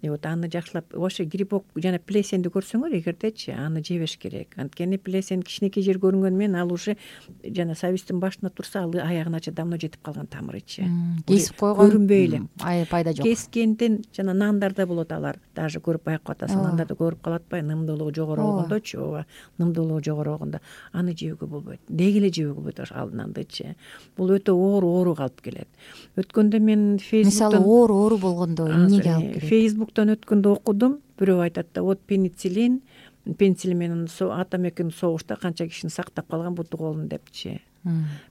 C: Вот аны жакшылап, ошо грибок жана плесенди көрсөңөр эгердечи, аны жебеш керек. Анткени плесен кичинекей жер көрүнгөнү менен ал уже жана сабиздин башына турса, ал аягына давно жетип калган тамырычы.
B: Кесип койгон
C: көрүнбөй эле.
B: Пайда жок.
C: Кескенден жана нандарда болот алар. Даже көрүп байкап атасың, нандарды көрүп калат атпайбы, нымдуулугу жогору болгондочу, ооба, нымдуулугу жогору болгондо аны жөөгө болбойт. Деги эле жөөгө болбойт ал нандычы. Бул өтө оору калып келет. Өткөндө мен
B: мисалы оору болгондо эмнеге алып келет?
C: Фейсбуктан өткөндө окудум, бирөө айтат да, вот пенициллин менен атом экөөнүн согушта канча кишини сактап калган буту колун депчи.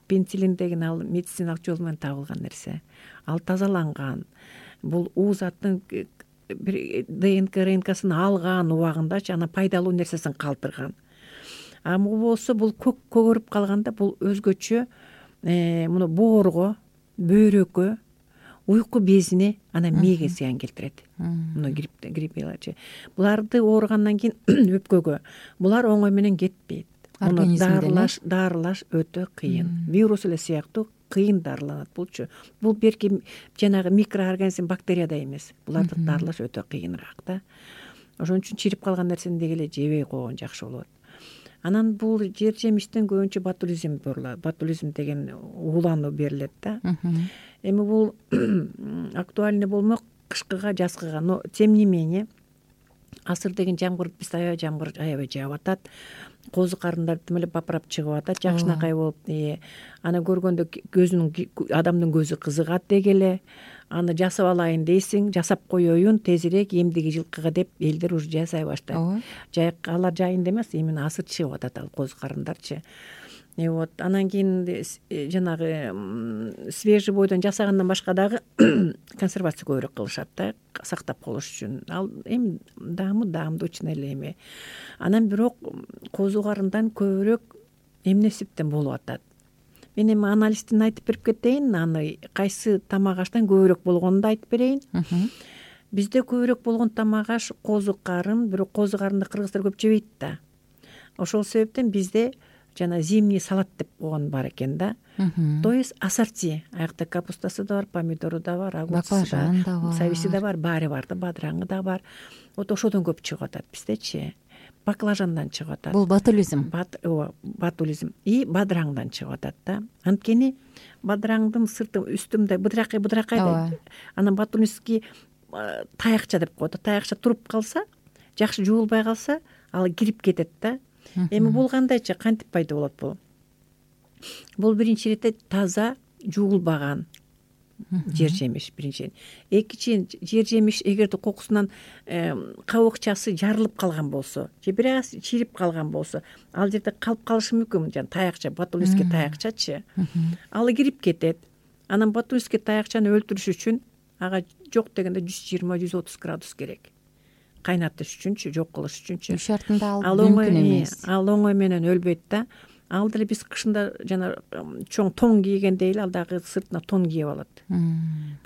C: Пенициллин деген ал медициналык жол менен табылган нерсе. Ал тазаланган. Бул заттын ДНК, РНКсын алган убагындачы, анан пайдалуу нерсесин калтырган. Бул болсо бул көгөрүп калганда бул өзгөчө муну боорго, бөйрөккө, уйку безине, анан мээге зыян келтирет. Муну гриппчы. Буларды ооругандан кийин өпкөгө. Булар оңой менен кетпейт. Муну дарылаш өтө кыйын. Вирус эле сыяктуу кыйын дарыланат булчу. Бул берки жанагы микроорганизм, бактерияда эмес. Буларды дарылаш өтө кыйыныраак да. Ошон үчүн чирип калган нерсени деги эле жебей койгон жакшы болот. Анан бул жер жемиштен көбүнчө ботулизм болот. Ботулизм деген уулануу берилет да. Эми бул актуальный болмок кышкыга, жазгыга, но тем не менее асыр деген жамгыр, биз жамгыр аябай жаап атат. Козу карындар тим эле бапырап чыгып атат, жакшынакай болуп. Аны көргөндө адамдын көзү кызыгат деги эле. Аны жасап алайын дейсиң, жасап коеюн тезирээк эмдиги жылкыга деп элдер уже жасай баштайт. Алар жайында эмес, именно асыр чыгып атат ал козу карындарчы. Вот анан кийин жанагы свежий бойдон жасагандан башка дагы консервация көбүрөөк кылышат да, сактап калыш үчүн. Ал эми даамдуучун эле эми. Анан бирок козу карындан көбүрөөк эмнесиптен болуп атат. мен эми анализдин айтып берип кетейин, аны кайсы тамак аштан көбүрөөк болгонун да айтып берейин. Бизде көбүрөөк болгон тамак аш козу карын, бирок козу карынды кыргыздар көп жебейт да. Ошол себептен бизде жана зимний салат деп койгон бар экен да. То есть ассорти, аякта капустасы да бар, помидору да бар, огурцу да бар, сабиси да бар, баары бар да, бадыраңы да бар. Вот ошодон көп чыгып атат биздечи. Баклажандан чыгып атат.
B: Бул батулизм.
C: Батулизм и бадыраңдан чыгып атат да. Анткени бадыраңдын сырты үстү мындай быдракай да. Анан батулизмский таякча деп коет. Таякча туруп калса, жакшы жуулбай калса, ал кирип кетет да. Эми бул кандайчы, кантип пайда болот бул? Бул биринчи иретте таза жуулбаган жер жемиш биринчиден. Экинчиден жер жемиш эгерде кокусунан кабыкчасы жарылып калган болсо же бир аз чирип калган болсо, ал жерде калып калышы мүмкүн. Жана таякча, батулизмский таякчачы, ал кирип кетет. Анан батулизмский таякчаны өлтүрүш үчүн ага жок дегенде 120-130 градус керек. Кайнатыш үчүнчү, жок кылыш үчүнчү. Үй
B: шартында ал мүмкүн эмес.
C: Ал оңой менен өлбөйт да. Ал деле биз кышында жана чоң тон кийгенде эле ал дагы сыртына тон кийип алат.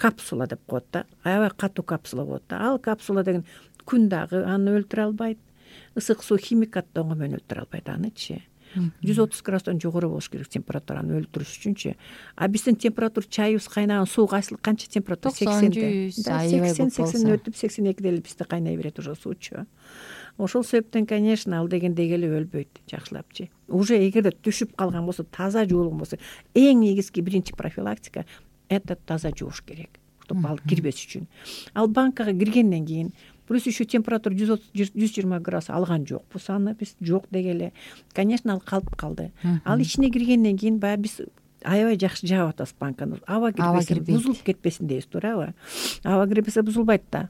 C: Капсула деп коет да. Аябай катуу капсула болот да. Ал капсула деген күн дагы аны өлтүрө албайт. Ысык суу, химикат да оңой менен өлтүрө албайт анычы. 130 градустан жогору болуш керек температураны өлтүрүш үчүнчү. А биздин температура чайыбыз кайнаган суу канча температура? 80. 80 өтүп 82 эле бизде кайнай берет уже суучу. Ошол себептен, конечно, ал дегендей эле өлбөйт жакшылапчы. Уже эгерде түшүп калган болсо, таза жуулган болсо, эң негизги биринчи профилактика это таза жууш керек, чтобы ал кирбеш үчүн. Ал банкага киргенден кийин плюс еще температура 120 градус алган жокпуз, аны биз жок дегеле. Конечно, ал калып калды. Ал ичине киргенден кийин баягы биз аябай жакшы жаап атабыз банканы. Аба кирбесе, бузулуп кетпесин дейбиз, туурабы? Аба кирбесе бузулбайт да.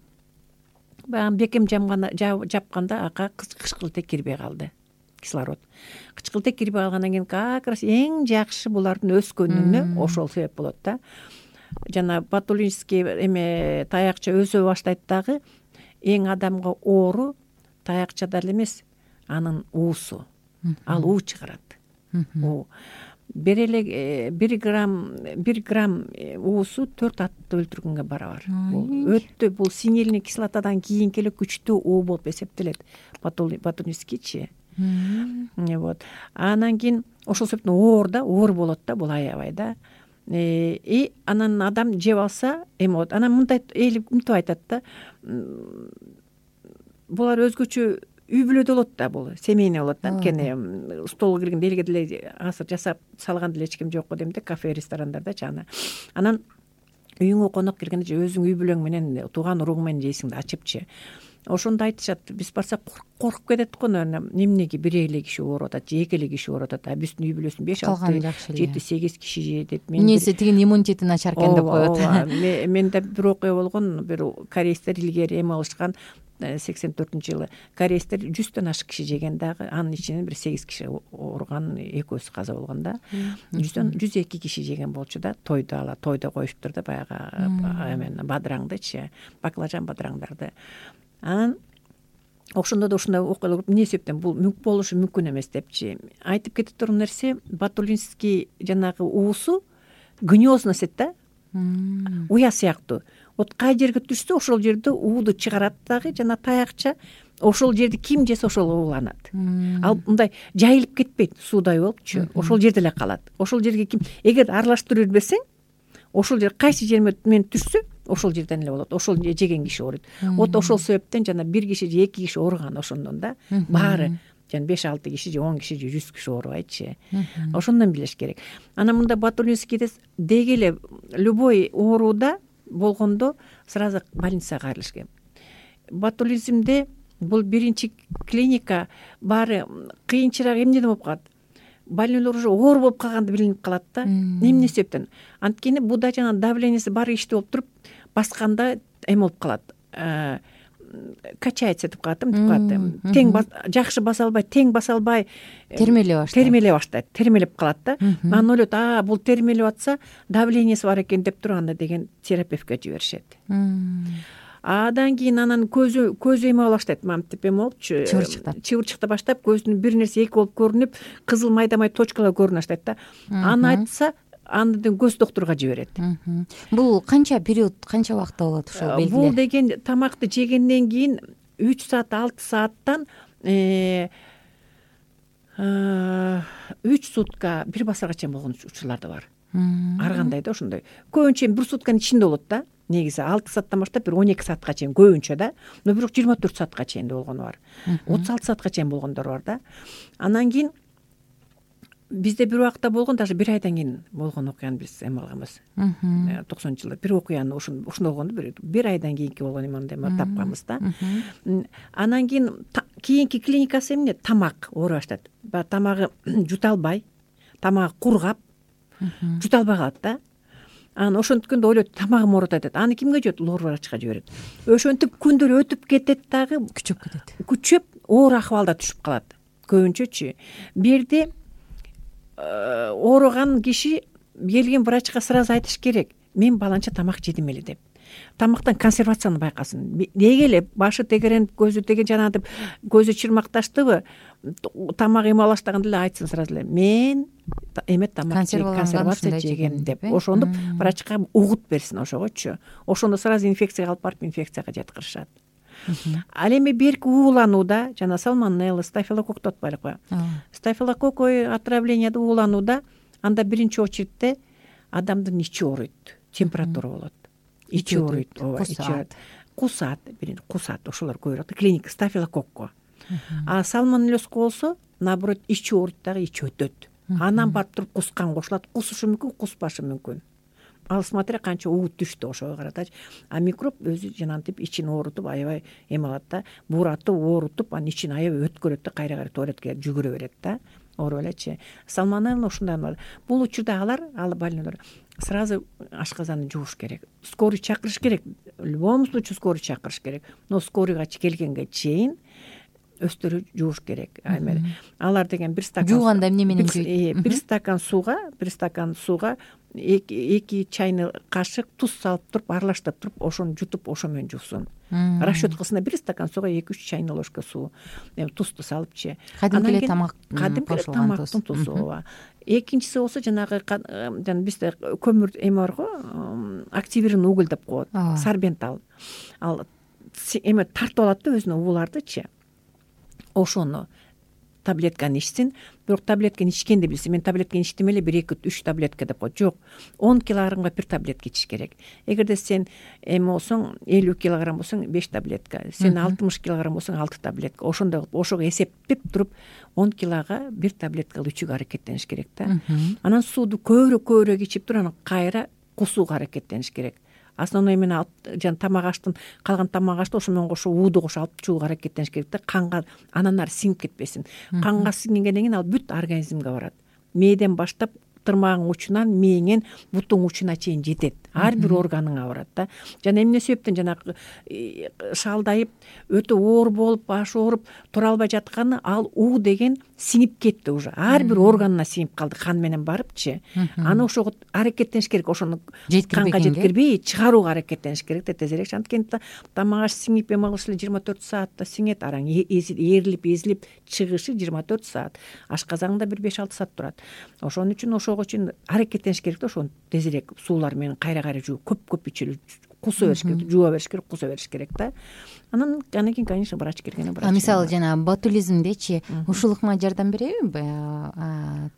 C: Баягы бекем жапканда ага кычкылтек кирбей калды. Кислород. Кычкылтек кирбей калгандан кийин как раз эң жакшы булардын өскөнүнө ошол себеп болот да. Жана батулинский таякча өсө баштайт дагы. Эң адамга оору таякчада эле эмес, анын уусу. Ал уу чыгарат. Бир эле 1 грамм уусу 4 атты өлтүргөнгө барабар. Бул өтө, бул синильный кислотадан кийинки эле күчтүү уу болуп эсептелет. Батулинскийчи. Вот. Анан кийин ошол себептен оор болот да, бул аябай да. И анан адам жеп алса, вот анан мындай мынтип айтат да. Булар өзгөчө үй бүлөдө болот да, бул семейный болот да. Анткени столго киргенде элге деле азыр жасап салган деле эч ким жок го дейм да, кафе, ресторандарда чана. Анан үйүңө конок киргенде же өзүң үй бүлөң менен, тууган уруң менен жейсиң да, ачыпчы. Ошондо айтышат, биз барсак коркуп кетет го, эмнеге бир эле киши ооруп атат, же эки эле киши ооруп атат, а биздин үй бүлөсүн 5-6, 7-8 киши жейт.
B: Эмнеси тигин иммунитети начар экен деп коет.
C: Менде бир окуя болгон, бир корейстер илгери эме алышкан, 84-жылы корейстер 100төн ашык киши жеген дагы, анын ичинен бир 8 киши ооруган, экөөсү каза болгон да. 102 киши жеген болчу да, тойдо коюшуптур да, баягы бадыраңдычы, баклажан бадыраңдарды. Анан ошондо да ушундай окуялар эмне себептен бул болушу мүмкүн эмес депчи. Айтып кетип турган нерсе, батулинский жанагы уусу гнездность да, уя сыяктуу. Вот кай жерге түшсө ошол жерде ууду чыгарат дагы, жана таякча ошол жерди ким жесе ошол ууланат. Ал мындай жайылып кетпейт, суудай болупчу, ошол жерде эле калат. Ошол жерге ким эгер аралаштырып бербесең, ошол жер кайсы жермен түшсө ошол жерден эле болот. Ошол жеген киши ооруйт. Вот ошол себептен жана бир киши же эки киши ооруган ошондон да, баары жана 5-6 киши же 10 киши же 100 киши оорубайтчы. Ошондон билиш керек. Анан мында батулинскийде деги эле любой ооруда болгондо сразу больницага кайрылыш керек. Батулизмде бул биринчи клиника баары кыйынчыраак эмнеден болуп калат? Больнойлор уже оор болуп калганды билинип калат да. Эмне себептен? Анткени буда жана давлениеси бар иштүү болуп туруп, басканда эме болуп калат. Качается деп калат, тең жакшы баса албай, тең баса албай термелеп баштайт, термелеп калат да. Анан ойлойт, бул термелеп атса, давлениеси бар экен деп туруп анда деген терапевтке жиберишет. Адан кийин анан көзү эме боло баштайт, мамтип эме болупчу, чыбырчыкта баштап көздүн бир нерсе эки болуп көрүнүп, кызыл майда точкалар көрүнө баштайт да. Аны айтса андан көз доктурга жиберет.
B: Бул канча период, канча убакытта болот ушул белгилер?
C: Бул деген тамакты жегенден кийин 3 саат 6 сааттан 3 сутка 1 басарга чейин болгон учурлар да бар. Ар кандай да ошондой. Көбүнчө 1 сутканын ичинде болот да. Негизи 6 сааттан баштап бир 12 саатка чейин көбүнчө да. Но бирок 24 саатка чейин болгону бар. 36 саатка чейин болгондор бар да. Анан кийин бизде бир убакта болгон, даже 1 айдан кийин болгон окуяны биз эме алганбыз. 90-жылдар бир окуяны ошондой болгонду, 1 айдан кийинки болгон эмне тапканбыз да. Анан кийинки клиникасы эмне? Тамак ооруй баштайт. Баягы тамагы жута албай, тамагы кургап, жута албай калат да. Анан ошонткөндө ойлойт, тамагым ооруп атат. Аны кимге жиберет? Лор врачка жиберет. Ошентип күндөр өтүп кетет дагы, күчөп оор акыбалда түшүп калат. Көбүнчөчү. Бу жерде ооруган киши келген врачка сразу айтыш керек: мен баланча тамак жедим эле деп. Тамактан консервацияны байкасын. Неге эле башы тегеренип, көзү деген жанагы көзү чырмакташтыбы, тамак эме баштаганда эле айтсын сразу эле: мен эме тамак консервация жегем деп. Ошондо врачка угут берсин ошогочу. Ошондо сразу инфекцияга алып барып инфекцияга жаткырышат. Ал эми берки ууланууда жана сальмонелла, стафилококк деп атпайлыкпы? Стафилококк отравленияда ууланууда анда биринчи очередте адамдын ичи ооруйт, температура болот. Ичи ооруйт, кусат, биринчи кусат, ошолор көбүрөөк клиника стафилококко. А сальмонеллезко болсо, наоборот, ичи ооруйт дагы ичи өтөт. Анан барып туруп кускан кошулат, кусушу мүмкүн, куспашы мүмкүн. Ал смотря канча уут түштү, ошого каратачы. А микроб өзү жанагынтип ичин оорутуп, аябай эме алат да, буратып, оорутуп, анан ичин аябай өткөрөт да, кайра туалетке жүгүрө берет да, ооруп элечи. Сальмонелла ушундай бар. Бул учурда ал больнойлор сразу ашказанды жууш керек. Скорый чакырыш керек. В любом случае скорый чакырыш керек. Но скорыйга келгенге чейин өстөрү жууш керек. Алар деген 1 стакан
B: жууганда эмне менен жууйт?
C: 1 стакан сууга 2 чайный кашык туз салып туруп, аралаштырып туруп, ошону жутуп, ошо менен жуусун. Расчеткасына 1 стакан сууга 2-3 чайный ложка суу, тузду салыпчы.
B: Кадимки эле
C: тамактын тузу. Экинчиси болсо жанагы бизде көмүр эме бар го, активированный уголь деп коет, сорбент ал эме тартып алат да өзүнө уулардычы. Ошону таблетканы ичсин. Бирок таблетканы ичкенди билсин. Мен таблетканы ичтим эле 1-2-3 таблетка деп коет. Жок. 10 килограммга 1 таблетка ичиш керек. Эгерде сен эме болсоң, 50 килограмм болсоң 5 таблетка, сен 60 килограмм болсоң 6 таблетка. Ошондой кылып, ошого эсептеп туруп 10 килога 1 таблетка ичүүгө аракеттениш керек да. Анан сууду көбүрөөк ичип туруп, анан кайра кусууга аракеттениш керек. Основной эмени алып, жана тамак аштын, калган тамак ашты ошо менен кошо ууду кошо алып чууга аракеттениш керек да, канга анан ары сиңип кетпесин. Канга сиңгенден кийин ал бүт организмге барат. Мээден баштап тырмагың учунан мээңен бутуң учуна чейин жетет. Ар бир органыңа барат да. Жана эмне себептен жанагы шалдайып, өтө оор болуп, башы ооруп тура албай жатканы, ал уу деген сиңип кетти уже. Ар бир органына сиңип калды, кан менен барыпчы. Аны ошого аракеттениш керек, ошону канга жеткирбей чыгарууга аракеттениш керек да тезирээк. Анткени тамак аш сиңип эме кылыш эле 24 саатта сиңет, араң ээрилип, эзилип чыгышы 24 саат. Ашказаңда бир 5-6 саат турат. Ошон үчүн ошого үчүн аракеттениш керек да, ошону тезирээк суулар менен кайра жуу, көп ичилүү, куса бериш керек, жууа бериш керек, куса бериш керек да. Анан кийин, конечно, врач келгенде врач.
B: Мисалы жана ботулизмдечи ушул ыкма жардам береби?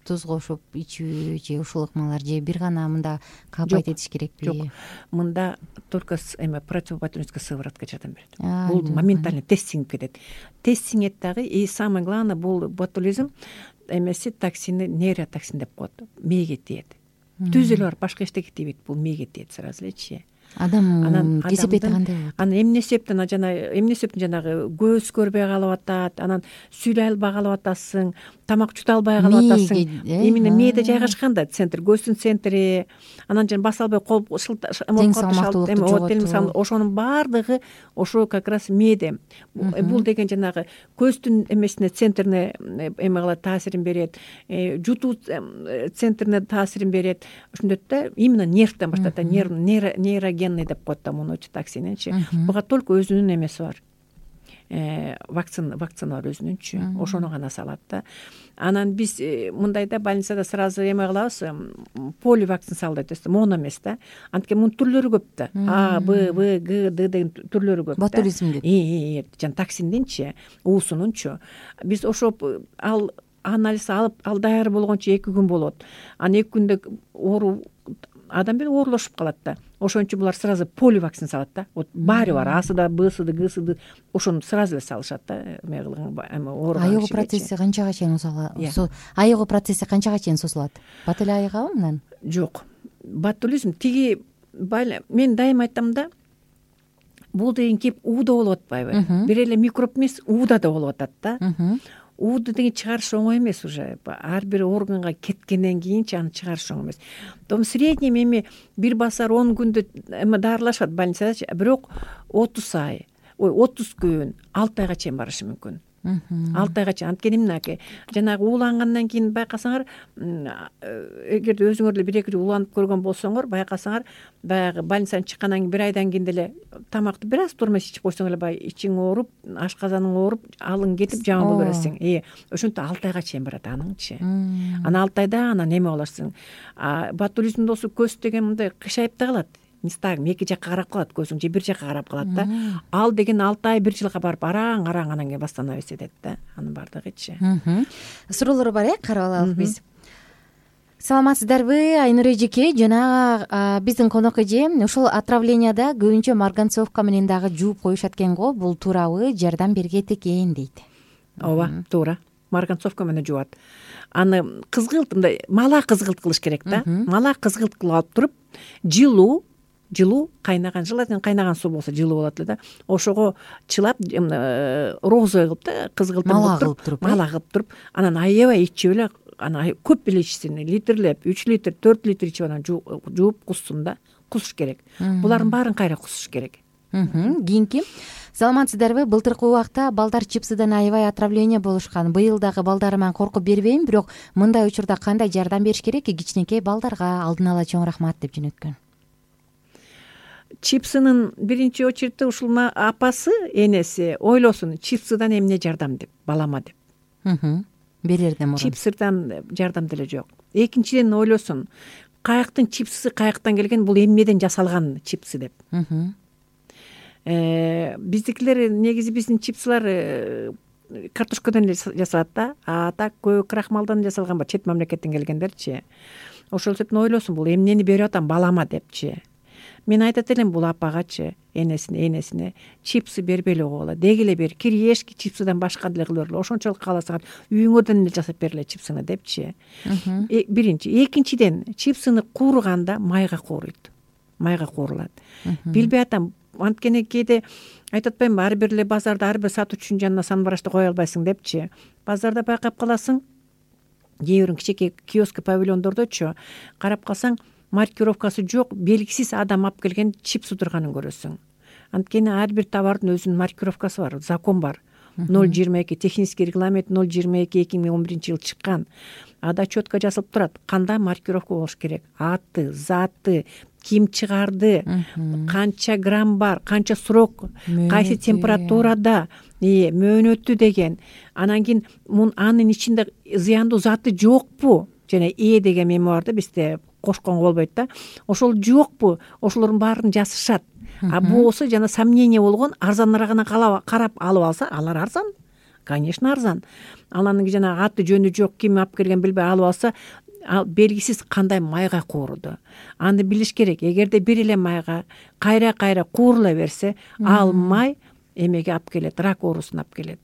B: Туз кошуп ичүү же ушул ыкмалар, же бир гана мында капайт этиш керекпи?
C: Жок. Мында только эме противоботулинская сыворотка жардам берет. Бул моментально тез сиңип кетет. Тез сиңет дагы, и самое главное, бул ботулизм эмеси токсини нейротоксин деп коет. Мээге тиет. Түз эле бар, башка эчтеке тийбейт, бул мээге тиет сразу элечи.
B: Адам кесепети кандай болот?
C: Анан эмне себептен жанагы көз көрбөй калып атат, анан сүйлөй албай калып атасың, тамак жута албай калып атасың. Именно мээде жайгашкан да центр, көздүн центри, анан жана баса албай кол ошонун баардыгы ошо как раз мээде. Бул деген жанагы көздүн эмесине, центрине эме кылат, таасирин берет, жутуу центрине таасирин берет. Ошондойт да, именно нервден баштайт да, нейрогенный деп коет да муну токсининчи. Буга только өзүнүн эмеси бар. Вакцина бар өзүнүнчү, ошону гана салат да. Анан биз мындай да больницада сразу эме кылабыз, поли вакцина сал дейт, моно эмес да. Анткени мунун түрлөрү көп да. А, Б, В, Г, Д деген түрлөрү көп да.
B: Ботулизмдин.
C: Жана токсиндинчи, уусунунчу. Биз ошо анализ алып, ал даяр болгончо 2 күн болот. Анан 2 күндө адам бир оорулашып калат да. Ошон үчүн булар сразу поли вакцина салат да. Вот баары бар, Асы да, Бсы да, Гсы да, ошону сразу эле салышат да.
B: Айыгуу процесси канчага чейин айыгуу процесси канчага чейин созулат? Бат эле айыгабы мынан?
C: Жок. Ботулизм мен дайыма айтам да, бул деген кеп ууда болуп атпайбы? Бир эле микроб эмес, ууда да болуп атат да. Ууду деген чыгарыш оңой эмес уже. Ар бир органга кеткенден кийинчи аны чыгарыш оңой эмес. В среднем эми бир басар 10 күндө дарылашат больницадачы, бирок 30 күн, 6 айга чейин барышы мүмкүн. 6 айга чейин. Анткени мынакей, жанагы уулангандан кийин байкасаңар, эгерде өзүңөр эле 1-2 жыл ууланып көргөн болсоңор, байкасаңар, баягы больницадан чыккандан кийин 1 айдан кийин деле тамакты бир аз турмай ичип койсоң эле баягы ичиң ооруп, ашказаның ооруп, алың кетип жаман боло бересиң. Ошентип 6 айга чейин барат аныңчы. Анан 6 айда анан эме болосуң. Ботулизм болсо көз деген мындай кышайып да калат. Мистагым эки жакка карап калат, көзүң же бир жакка карап калат да. Ал деген 6 ай 1 жылга барып араң анан кийин восстановить этет да. Анын бардыгычы.
B: Суроолор бар, карап алалы биз. Саламатсыздарбы, Айнур эжеке? Жана биздин конок эже ушул отравленияда көбүнчө марганцовка менен дагы жууп коюшат экен го. Бул туурабы? Жардам бергет экен дейт.
C: Ооба, туура. Марганцовка менен жуат. Аны кызгылт, мындай мала кызгылт кылыш керек да. Мала кызгылт кылып алып туруп, жылуу кайнаган, желательно кайнаган суу болсо жылуу болот эле да. Ошого чылап, розовый кылып да, кызгылтын мала кылып туруп, анан аябай ичип эле, анан көп эле ичсин, литрлеп, 3 литр, 4 литр ичип анан жууп куссун да. Кусуш керек. Булардын баарын кайра кусуш керек.
B: Кийинки, саламатсыздарбы? Былтыркы убакта балдар чипсыдан аябай отравление болушкан. Быйыл дагы балдарыма коркуп бербейм, бирок мындай учурда кандай жардам бериш керек кичинекей балдарга? Алдын ала чоң рахмат деп жөнөткөн.
C: Чипсынын биринчи очередте ушул апасы, энеси ойлосун, чипсыдан эмне жардам деп, балама деп.
B: Берерден мурун.
C: Чипсыдан жардам деле жок. Экинчиден ойлосун, каяктын чипсысы каяктан келген, бул эмнеден жасалган чипсы деп. Биздикилер негизи биздин чипсылар картошкадан жасалат да, а так көбү крахмалдан жасалган бар, чет мамлекеттен келгендерчи. Ошол себептен ойлосун, бул эмнени берип атам балама депчи. Мен айтат элем бул апагачы, энесине чипсы бербей эле койгула. Деги эле бер, кириешки чипсыдан башка деле кылып бергиле. Ошончолук кааласаңар үйүңөрдөн эле жасап бергиле чипсыны депчи. Биринчи, экинчиден, чипсыны кууруганда майга кууруйт. Майга куурулат. Билбей атам, анткени кээде айтып атпаймынбы, ар бир эле базарда ар бир сатуучунун жанына санбарашты кое албайсың депчи. Базарда байкап каласың, кээ бирин кичинекей киоск павильондордочу карап калсаң, маркировкасы жок, белгисиз адам алып келген чипсы турганын көрөсүң. Анткени ар бир товардын өзүнүн маркировкасы бар, закон бар. 022 технический регламент 022/2011 чыккан. Ада четко жазылып турат, кандай маркировка болуш керек, аты, заты, ким чыгарды, канча грамм бар, канча срок, кайсы температурада, мөөнөтү деген. Анан кийин анын ичинде зыяндуу заты жокпу? Жана деген меми бар да, бизде кошконго болбойт да. Ошол жокпу? Ошолордун баарын жазышат. А болсо жана сомнение болгон, арзаныраагына карап алып алса, алар арзан. Конечно, арзан. Анан жана аты жөнү жок, ким алып келген билбей алып алса, белгисиз кандай майга кууруду. Аны билиш керек. Эгерде бир эле майга кайра куурула берсе, ал май эмеге алып келет, рак оорусуна алып келет.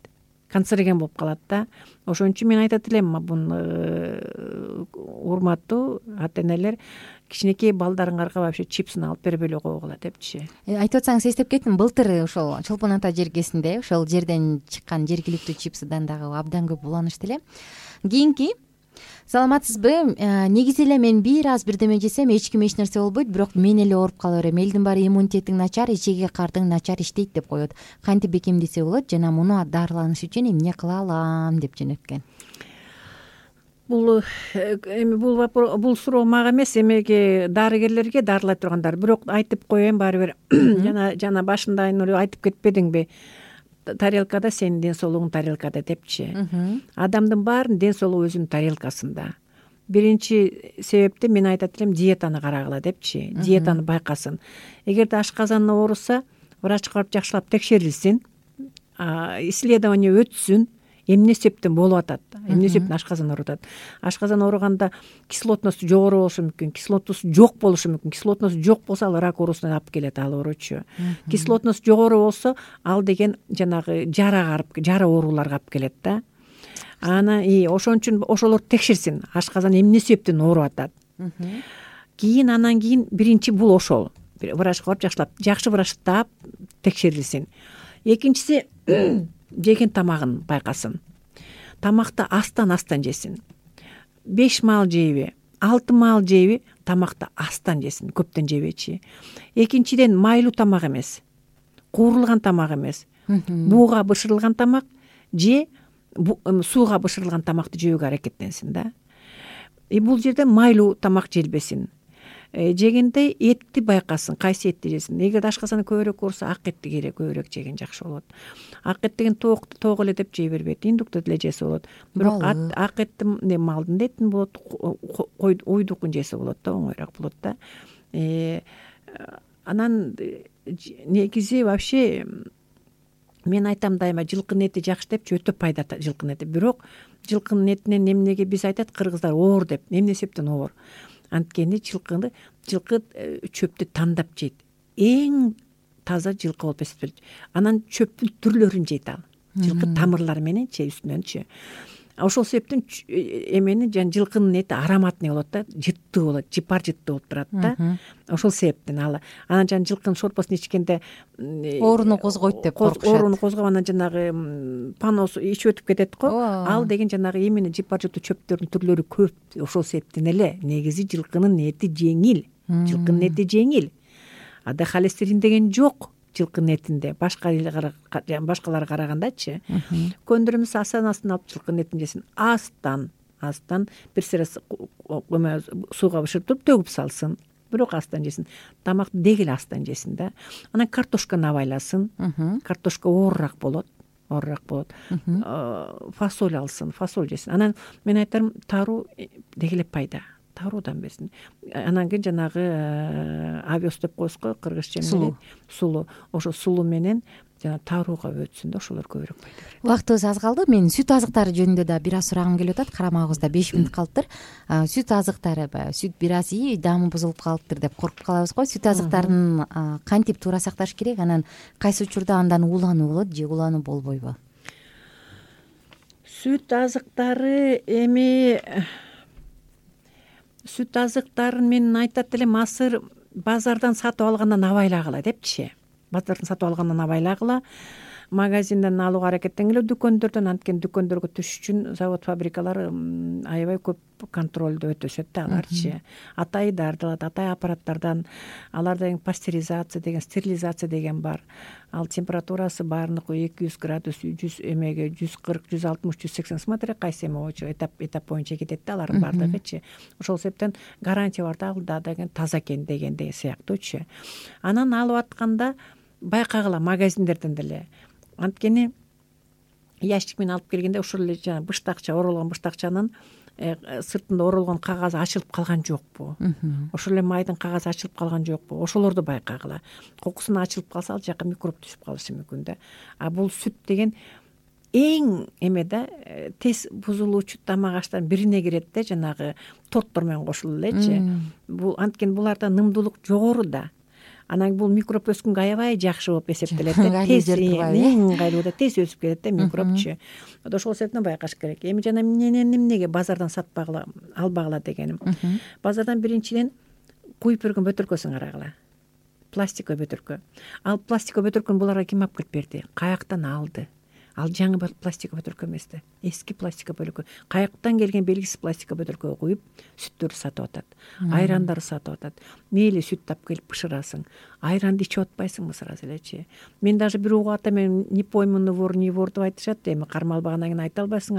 C: Канцероген болуп калат да. Ошон үчүн мен айтат элем, урматтуу ата-энелер, кичинекей балдарыңарга вообще чипсын алып бербей эле койгула депчи.
B: Айтып атсаңыз эстеп кеттим, былтыр ошол Чолпон ата жергесинде ошол жерден чыккан жергиликтүү чипсыдан дагы абдан көп уланышты эле. кийинки саламатсызбы, негизи эле мен бир аз бирдеме жесем эч ким эч нерсе болбойт, бирок мен эле ооруп кала берем, элдин баары иммунитетиң начар, ичеги картың начар иштейт деп коет. Кантип бекемдесе болот жана муну дарыланыш үчүн эмне кыла алам деп жөнөткөн.
C: Бул суроо мага эмес, эмеге дарыгерлерге, дарылай тургандар. Бирок айтып коеюн баары бир жана башында айтып кетпедиңби, тарелкада сенин ден соолугуң тарелкада депчи. Адамдын баарынын ден соолугу өзүнүн тарелкасында. Биринчи себепти мен айтат элем, диетаны карагыла депчи. Диетаны байкасын. Эгерде ашказаны ооруса, врачка барып жакшылап текшерилсин, исследование өтсүн, эмне себептен болуп атат, эмне себептен ашказан ооруп атат. Ашказан ооруганда кислотносту жогору болушу мүмкүн, кислотносту жок болушу мүмкүн. Кислотносту жок болсо ал рак оорусуна алып келет ал ооручу. Кислотность жогору болсо ал деген жанагы жара ооруларга алып келет да. Ошон үчүн ошолорду текшерсин, ашказан эмне себептен ооруп атат. Анан кийин биринчи бул ошол. Врачка барып жакшы врач таап текшерилсин. Экинчиси жеген тамагын байкасын. Тамакты астан жесин. 5 маал жейби, 6 маал жейби, тамакты астан жесин, көптөн жебечи. Экинчиден майлуу тамак эмес, куурулган тамак эмес, бууга бышырылган тамак же сууга бышырылган тамакты жөөгө аракеттенсин да. Бул жерде майлуу тамак желбесин. Жегенде этти байкасын, кайсы этти жесин. Эгер ашказаны көбүрөөк ооруса, ак этти көбүрөөк жеген жакшы болот. Ак эт деген тоок эле деп жей бербейт, индукту деле жесе болот. Бирок ак этти малдын этин болот, уйдукун жесе болот да, оңоюраак болот да. Анан негизи вообще мен айтам дайыма, жылкынын эти жакшы депчи, өтө пайда жылкынын эти. Бирок жылкынын этинен эмнеге биз айтат кыргыздар оор деп, эмне себептен оор? Анткени жылкы чөптү тандап жейт. Эң таза жылкы болуп эсептелет. Анан чөптүн түрлөрүн жейт ал. Жылкы тамырлары мененчи, үстүнөнчү. Ошол себептен эмени жылкынын эти ароматный болот да, жыттуу болот, жыпар жыттуу болуп турат да. Ошол себептен ал. Анан жылкынын шорпосун ичкенде
B: ооруну козгойт деп коркушат.
C: Ооруну козгоп, анан жанагы паносу ичип өтүп кетет го. Ал деген жанагы эмени жыпар жыттуу чөптөрдүн түрлөрү көп. Ошол себептен эле негизи жылкынын эти жеңил. Жылкынын эти жеңил. Ада холестерин деген жок жылкынын этинде, башкаларга карагандачы. Көндүрүмүз астан алып жылкынын этин жесин. Астан бир сыра сууга бышырып туруп төгүп салсын. Бирок астан жесин. Тамакты дегеле астан жесин да. Анан картошканы абайласын. Картошка оорураак болот. Фасоль алсын, фасоль жесин. Анан мен айтарым, таруу дегеле пайда. Таруудан берсин. Анан кийин жанагы овес деп коебуз го, кыргызча менен сулуу. Ошо сулуу менен жана тарууга өтсүн да, ошолор көбүрөөк пайда берет.
B: Убактыбыз аз калды. Мен сүт азыктары жөнүндө да бир аз сурагым келип атат. Карамагыбызда 5 мүнөт калыптыр. Сүт азыктары, сүт бир аз даамы бузулуп калыптыр деп коркуп калабыз го. Сүт азыктарын кантип туура сакташ керек? Анан кайсы учурда андан уулануу болот же уулануу болбойбу?
C: Сүт азыктарын мен айтат элем, азыр базардан сатып алгандан абайлагыла депчи. Базардан сатып алгандан абайлагыла. Магазинден алууга аракеттенгиле, дүкөндөрдөн. Анткени дүкөндөргө түшүш үчүн завод, фабрикалар аябай көп контролдо өтүшөт да аларчы. Атайы дарылат, атайы аппараттардан. Аларда пастеризация деген, стерилизация деген бар. Ал температурасы баарыныкы 200 градус, 100 эмеге 140, 160, 180, смотря кайсы эме боюнча, этап боюнча кетет да алардын баардыгычы. Ошол себептен гарантия бар да, ал деген таза экен дегенде сыяктуучу. Анан алып атканда байкагыла магазиндерден деле. Анткени ящик менен алып келгенде ошол эле жана быштакча, оролгон быштакчанын сыртында оролгон кагазы ачылып калган жокпу? Ошол эле майдын кагазы ачылып калган жокпу? Ошолорду байкагыла. Кокусуна ачылып калса, ал жака микроб түшүп калышы мүмкүн да. Бул сүт деген эң эме да, тез бузулуучу тамак аштардын бирине кирет да, жанагы торттор менен кошулуп элечи. Бул анткени буларда нымдуулук жогору да. Анан бул микроб өскөнгө аябай жакшы болуп эсептелет да. Тез ыңгайлуу да, тез өсүп кетет да микробчу. Ошол себептен байкаш керек. Эми жана эмнеге базардан сатпагыла, албагыла дегеним. Базардан биринчиден куюп берген бөтөлкөсүн карагыла. Пластиковый бөтөлкө. Ал пластиковый бөтөлкөнү буларга ким алып келип берди? Каяктан алды? ал жаңы пластика бөтөлкө эмес да, эски пластика бөтөлкө, каяктан келген белгисиз пластика бөтөлкөгө куюп сүттөрдү сатып атат, айрандарды сатып атат. Мейли сүт тап келип бышырасың, айранды ичип атпайсыңбы сразу элечи. Мен даже бир угуп атам, мен не пойму не вор деп айтышат, эми кармалбагандан кийин айта албайсың,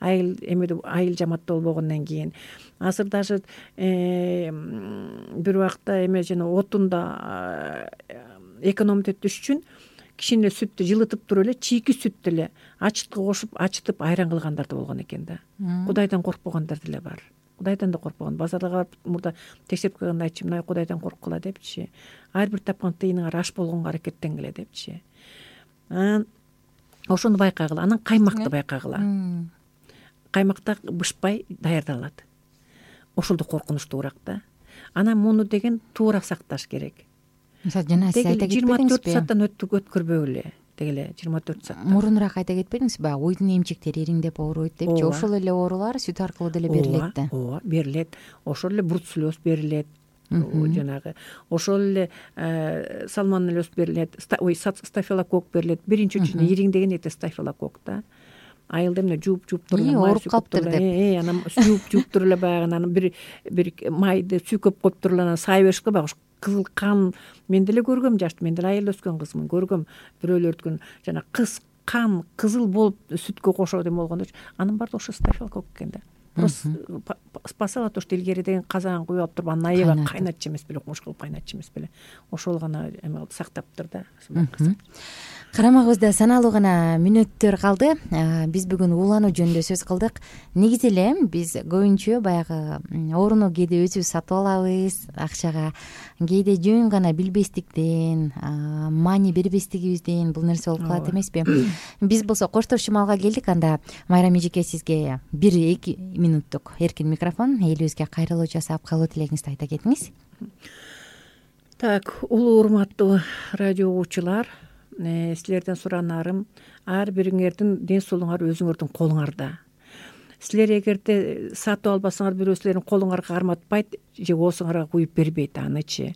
C: айыл жаматта болбогондон кийин. Азыр даже бир убакта жана отунда экономить этиш үчүн кичине сүттү жылытып туруп эле чийки сүттү эле ачытка кошуп ачытып айран кылгандар да болгон экен да. Кудайдан коркпогондар деле бар. Кудайдан да коркпогон. Базарга барып мурда текшерип койгондо айтчу, мына Кудайдан корккула депчи. Ар бир тапкан тыйыныңар аш болгонго аракеттенгиле депчи. Ошону байкагыла. Анан каймакты байкагыла. Каймакта бышпай даярдалат. Ошол да коркунучтуураак да. Анан муну деген туура сакташ керек.
B: Мисалы жана сиз айта кетпедиңизби?
C: 24 сааттан өткөрбөгүлө. Дегеле 24 саат.
B: Мурунураак айта кетпедиңизби? Баягы уйдун эмчектери ириңдеп ооруйт депчи. Ошол эле оорулар сүт аркылуу деле берилет да.
C: Ооба, берилет. Ошол эле бруцеллез берилет. Жанагы ошол эле сальмонеллез берилет. Стафилококк берилет. Биринчи үчүнө ириңдеген эте стафилококк да. Айылда эмне жууп туруп
B: ооруп калыптыр деп.
C: Анан жууп туруп эле баягы анан бир майды сүйкөп коюп туруп эле анан сай беришке баягы кызыл кан. Мен деле көргөм, жашты, мен деле айылда өскөн кызмын, көргөм бирөөлөрдүн жана кан кызыл болуп сүткө кошот эме болгондо анын баары ошо стафилококк экен да. Просто спасала то, что илгери деген казан куюп алып туруп анан аябай кайнатчу эмес беле, кумуш кылып кайнатчу эмес беле. Ошол гана эме кылып сактаптыр да.
B: Карамагыбызда саналуу гана мүнөттөр калды. Биз бүгүн уулануу жөнүндө сөз кылдык. Негизи эле биз көбүнчө баягы ооруну кээде өзүбүз сатып алабыз акчага, кээде жөн гана билбестиктен, маани бербестигибизден бул нерсе болуп калат эмеспи? Биз болсо коштошчу маалга келдик. Анда Майрам эжеке, сизге 1-2 минуттук эркин микрофон. Элибизге кайрылуу жасап калуу тилегиңизди айта кетиңиз.
C: Так, улуу урматтуу радио угуучулар, силерден суранарым, ар бириңердин ден соолугуңар өзүңөрдүн колуңарда. Силер эгерде сатып албасаңар, бирөө силердин колуңарга карматпайт же оозуңарга куюп бербейт анычы.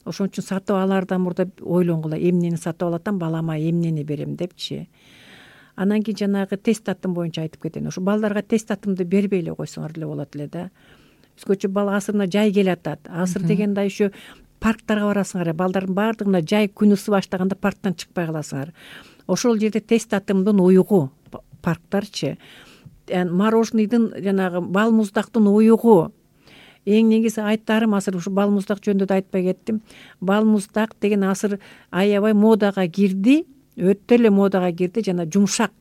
C: Ошон үчүн сатып алаардан мурда ойлонгула, эмнени сатып алатам, балама эмнени берем депчи. Анан кийин жанагы тест татым боюнча айтып кетейин. Ошо балдарга тест татымды бербей эле койсоңор деле болот эле да. Өзгөчө бала асырына жай келатат. Асыр дегенде еще парктарга барасыңар, балдардын баардыгына жай күн ысып баштаганда парктан чыкпай каласыңар. Ошол жерде тест татымдын уюгу, парктарчы, мороженыйдын жанагы бал муздактын уюгу. Эң негизи айтарым, азыр ушу бал муздак жөнүндө да айтпай кеттим. Бал муздак деген азыр аябай модага кирди, өтө эле модага кирди, жана жумшак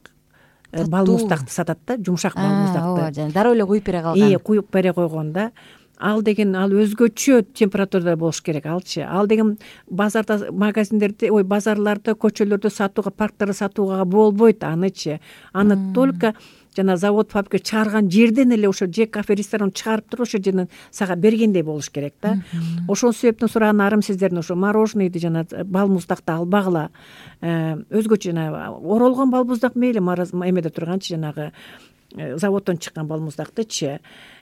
C: бал муздакты сатат да, жумшак бал муздакты.
B: Ооба, дароо эле куюп бере калган.
C: Куюп бере койгон да. Ал деген ал өзгөчө температурада болуш керек алчы. Ал деген базарда, магазиндерде, базарларда, көчөлөрдө сатууга, парктарда сатууга болбойт анычы. Аны только жана завод, фабрика чыгарган жерден эле, ошо же кафе, ресторан чыгарып туруп ошо жерден сага бергендей болуш керек да. Ошол себептен суранарым сиздердин ошо мороженыйды жана бал муздакты албагыла. Өзгөчө жана оролгон бал муздак мейли, эмеде турганчы жанагы заводдон чыккан бал муздактычы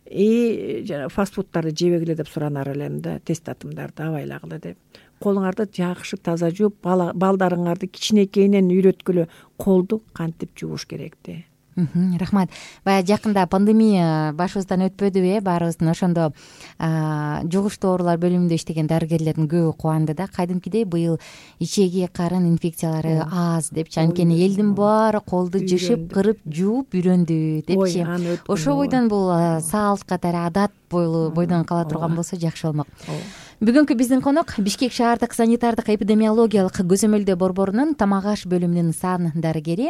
C: жана фастфудтарды жебегиле деп суранар элем да, тест татымдарды абайлагыла деп. Колуңарды жакшы таза жууп, балдарыңарды кичинекейинен үйрөткүлө, колду кантип жууш керек де.
B: Рахмат. Баягы жакында пандемия башыбыздан өтпөдүбү? Баарыбыздын ошондо жугуштуу оорулар бөлүмүндө иштеген дарыгерлердин көбү кубанды да. Кайдымкидей быйыл ичеги, карын инфекциялары аз депчи. Анткени элдин баары колду жышып, кырып, жууп үйрөндү депчи. Ошол бойдон бул салт катары адат бойдон кала турган болсо жакшы болмок. Бүгүнкү биздин конок Бишкек шаардык санитардык эпидемиологиялык көзөмөлдөө борборунун тамак аш бөлүмүнүн сан дарыгери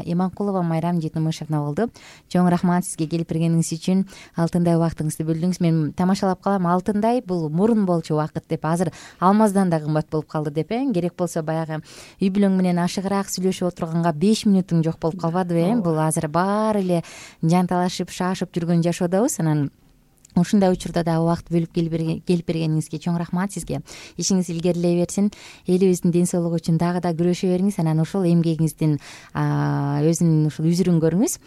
B: Иманкулова Майрам Жетимишевна болду. Чоң рахмат сизге келип бергениңиз үчүн, алтындай убактыңызды бөлдүңүз. Мен тамашалап калам, алтындай бул мурун болчу убакыт деп, азыр алмаздан да кымбат болуп калды деп. Керек болсо баягы үй бүлөң менен ашыгыраак сүйлөшүп отурганга 5 мүнөтүң жок болуп калбадыбы? Бул азыр баары эле жанталашып, шашып жүргөн жашоодобуз. Анан ушундай учурда да убакыт бөлүп келип бергениңизге чоң рахмат сизге. Ишиңиз илгерилей берсин. Элибиздин ден соолугу үчүн дагы да күрөшө бериңиз. Анан ошол эмгегиңиздин өзүнүн ушул үзүрүн көрүңүз.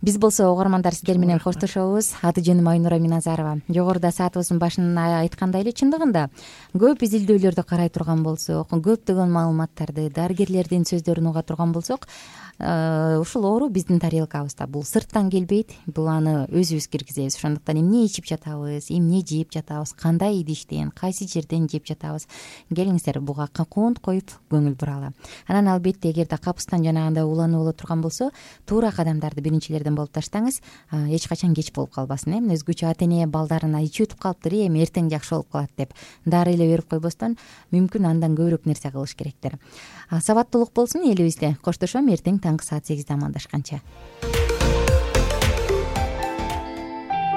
B: биз болсо угармандар сиздер менен коштошобуз. Аты жөнүм Айнура Миназарова. Жогоруда саатыбыздын башында айткандай эле, чындыгында көп изилдөөлөрдү карай турган болсок, көптөгөн маалыматтарды, дарыгерлердин сөздөрүн уга турган болсок, ушул оору биздин тарелкабызда. Бул сырттан келбейт, бул аны өзүбүз киргизебиз. Ошондуктан эмне ичип жатабыз, эмне жеп жатабыз, кандай идиштен, кайсы жерден жеп жатабыз, келиңиздер буга кунт коюп көңүл буралы. Анан албетте эгерде капыстан жанагындай уланып боло турган болсо, туура кадамдарды биринчилерден болуп таштаңыз. Эч качан кеч болуп калбасын. Эми өзгөчө ата эне балдарына ичип өтүп калыптыр, эми эртең жакшы болуп калат деп дары эле берип койбостон, мүмкүн андан көбүрөөк нерсе кылыш керектир. Сабаттуулук болсун элибизде. Коштошом эртең таңкы саат 8де амандашканча.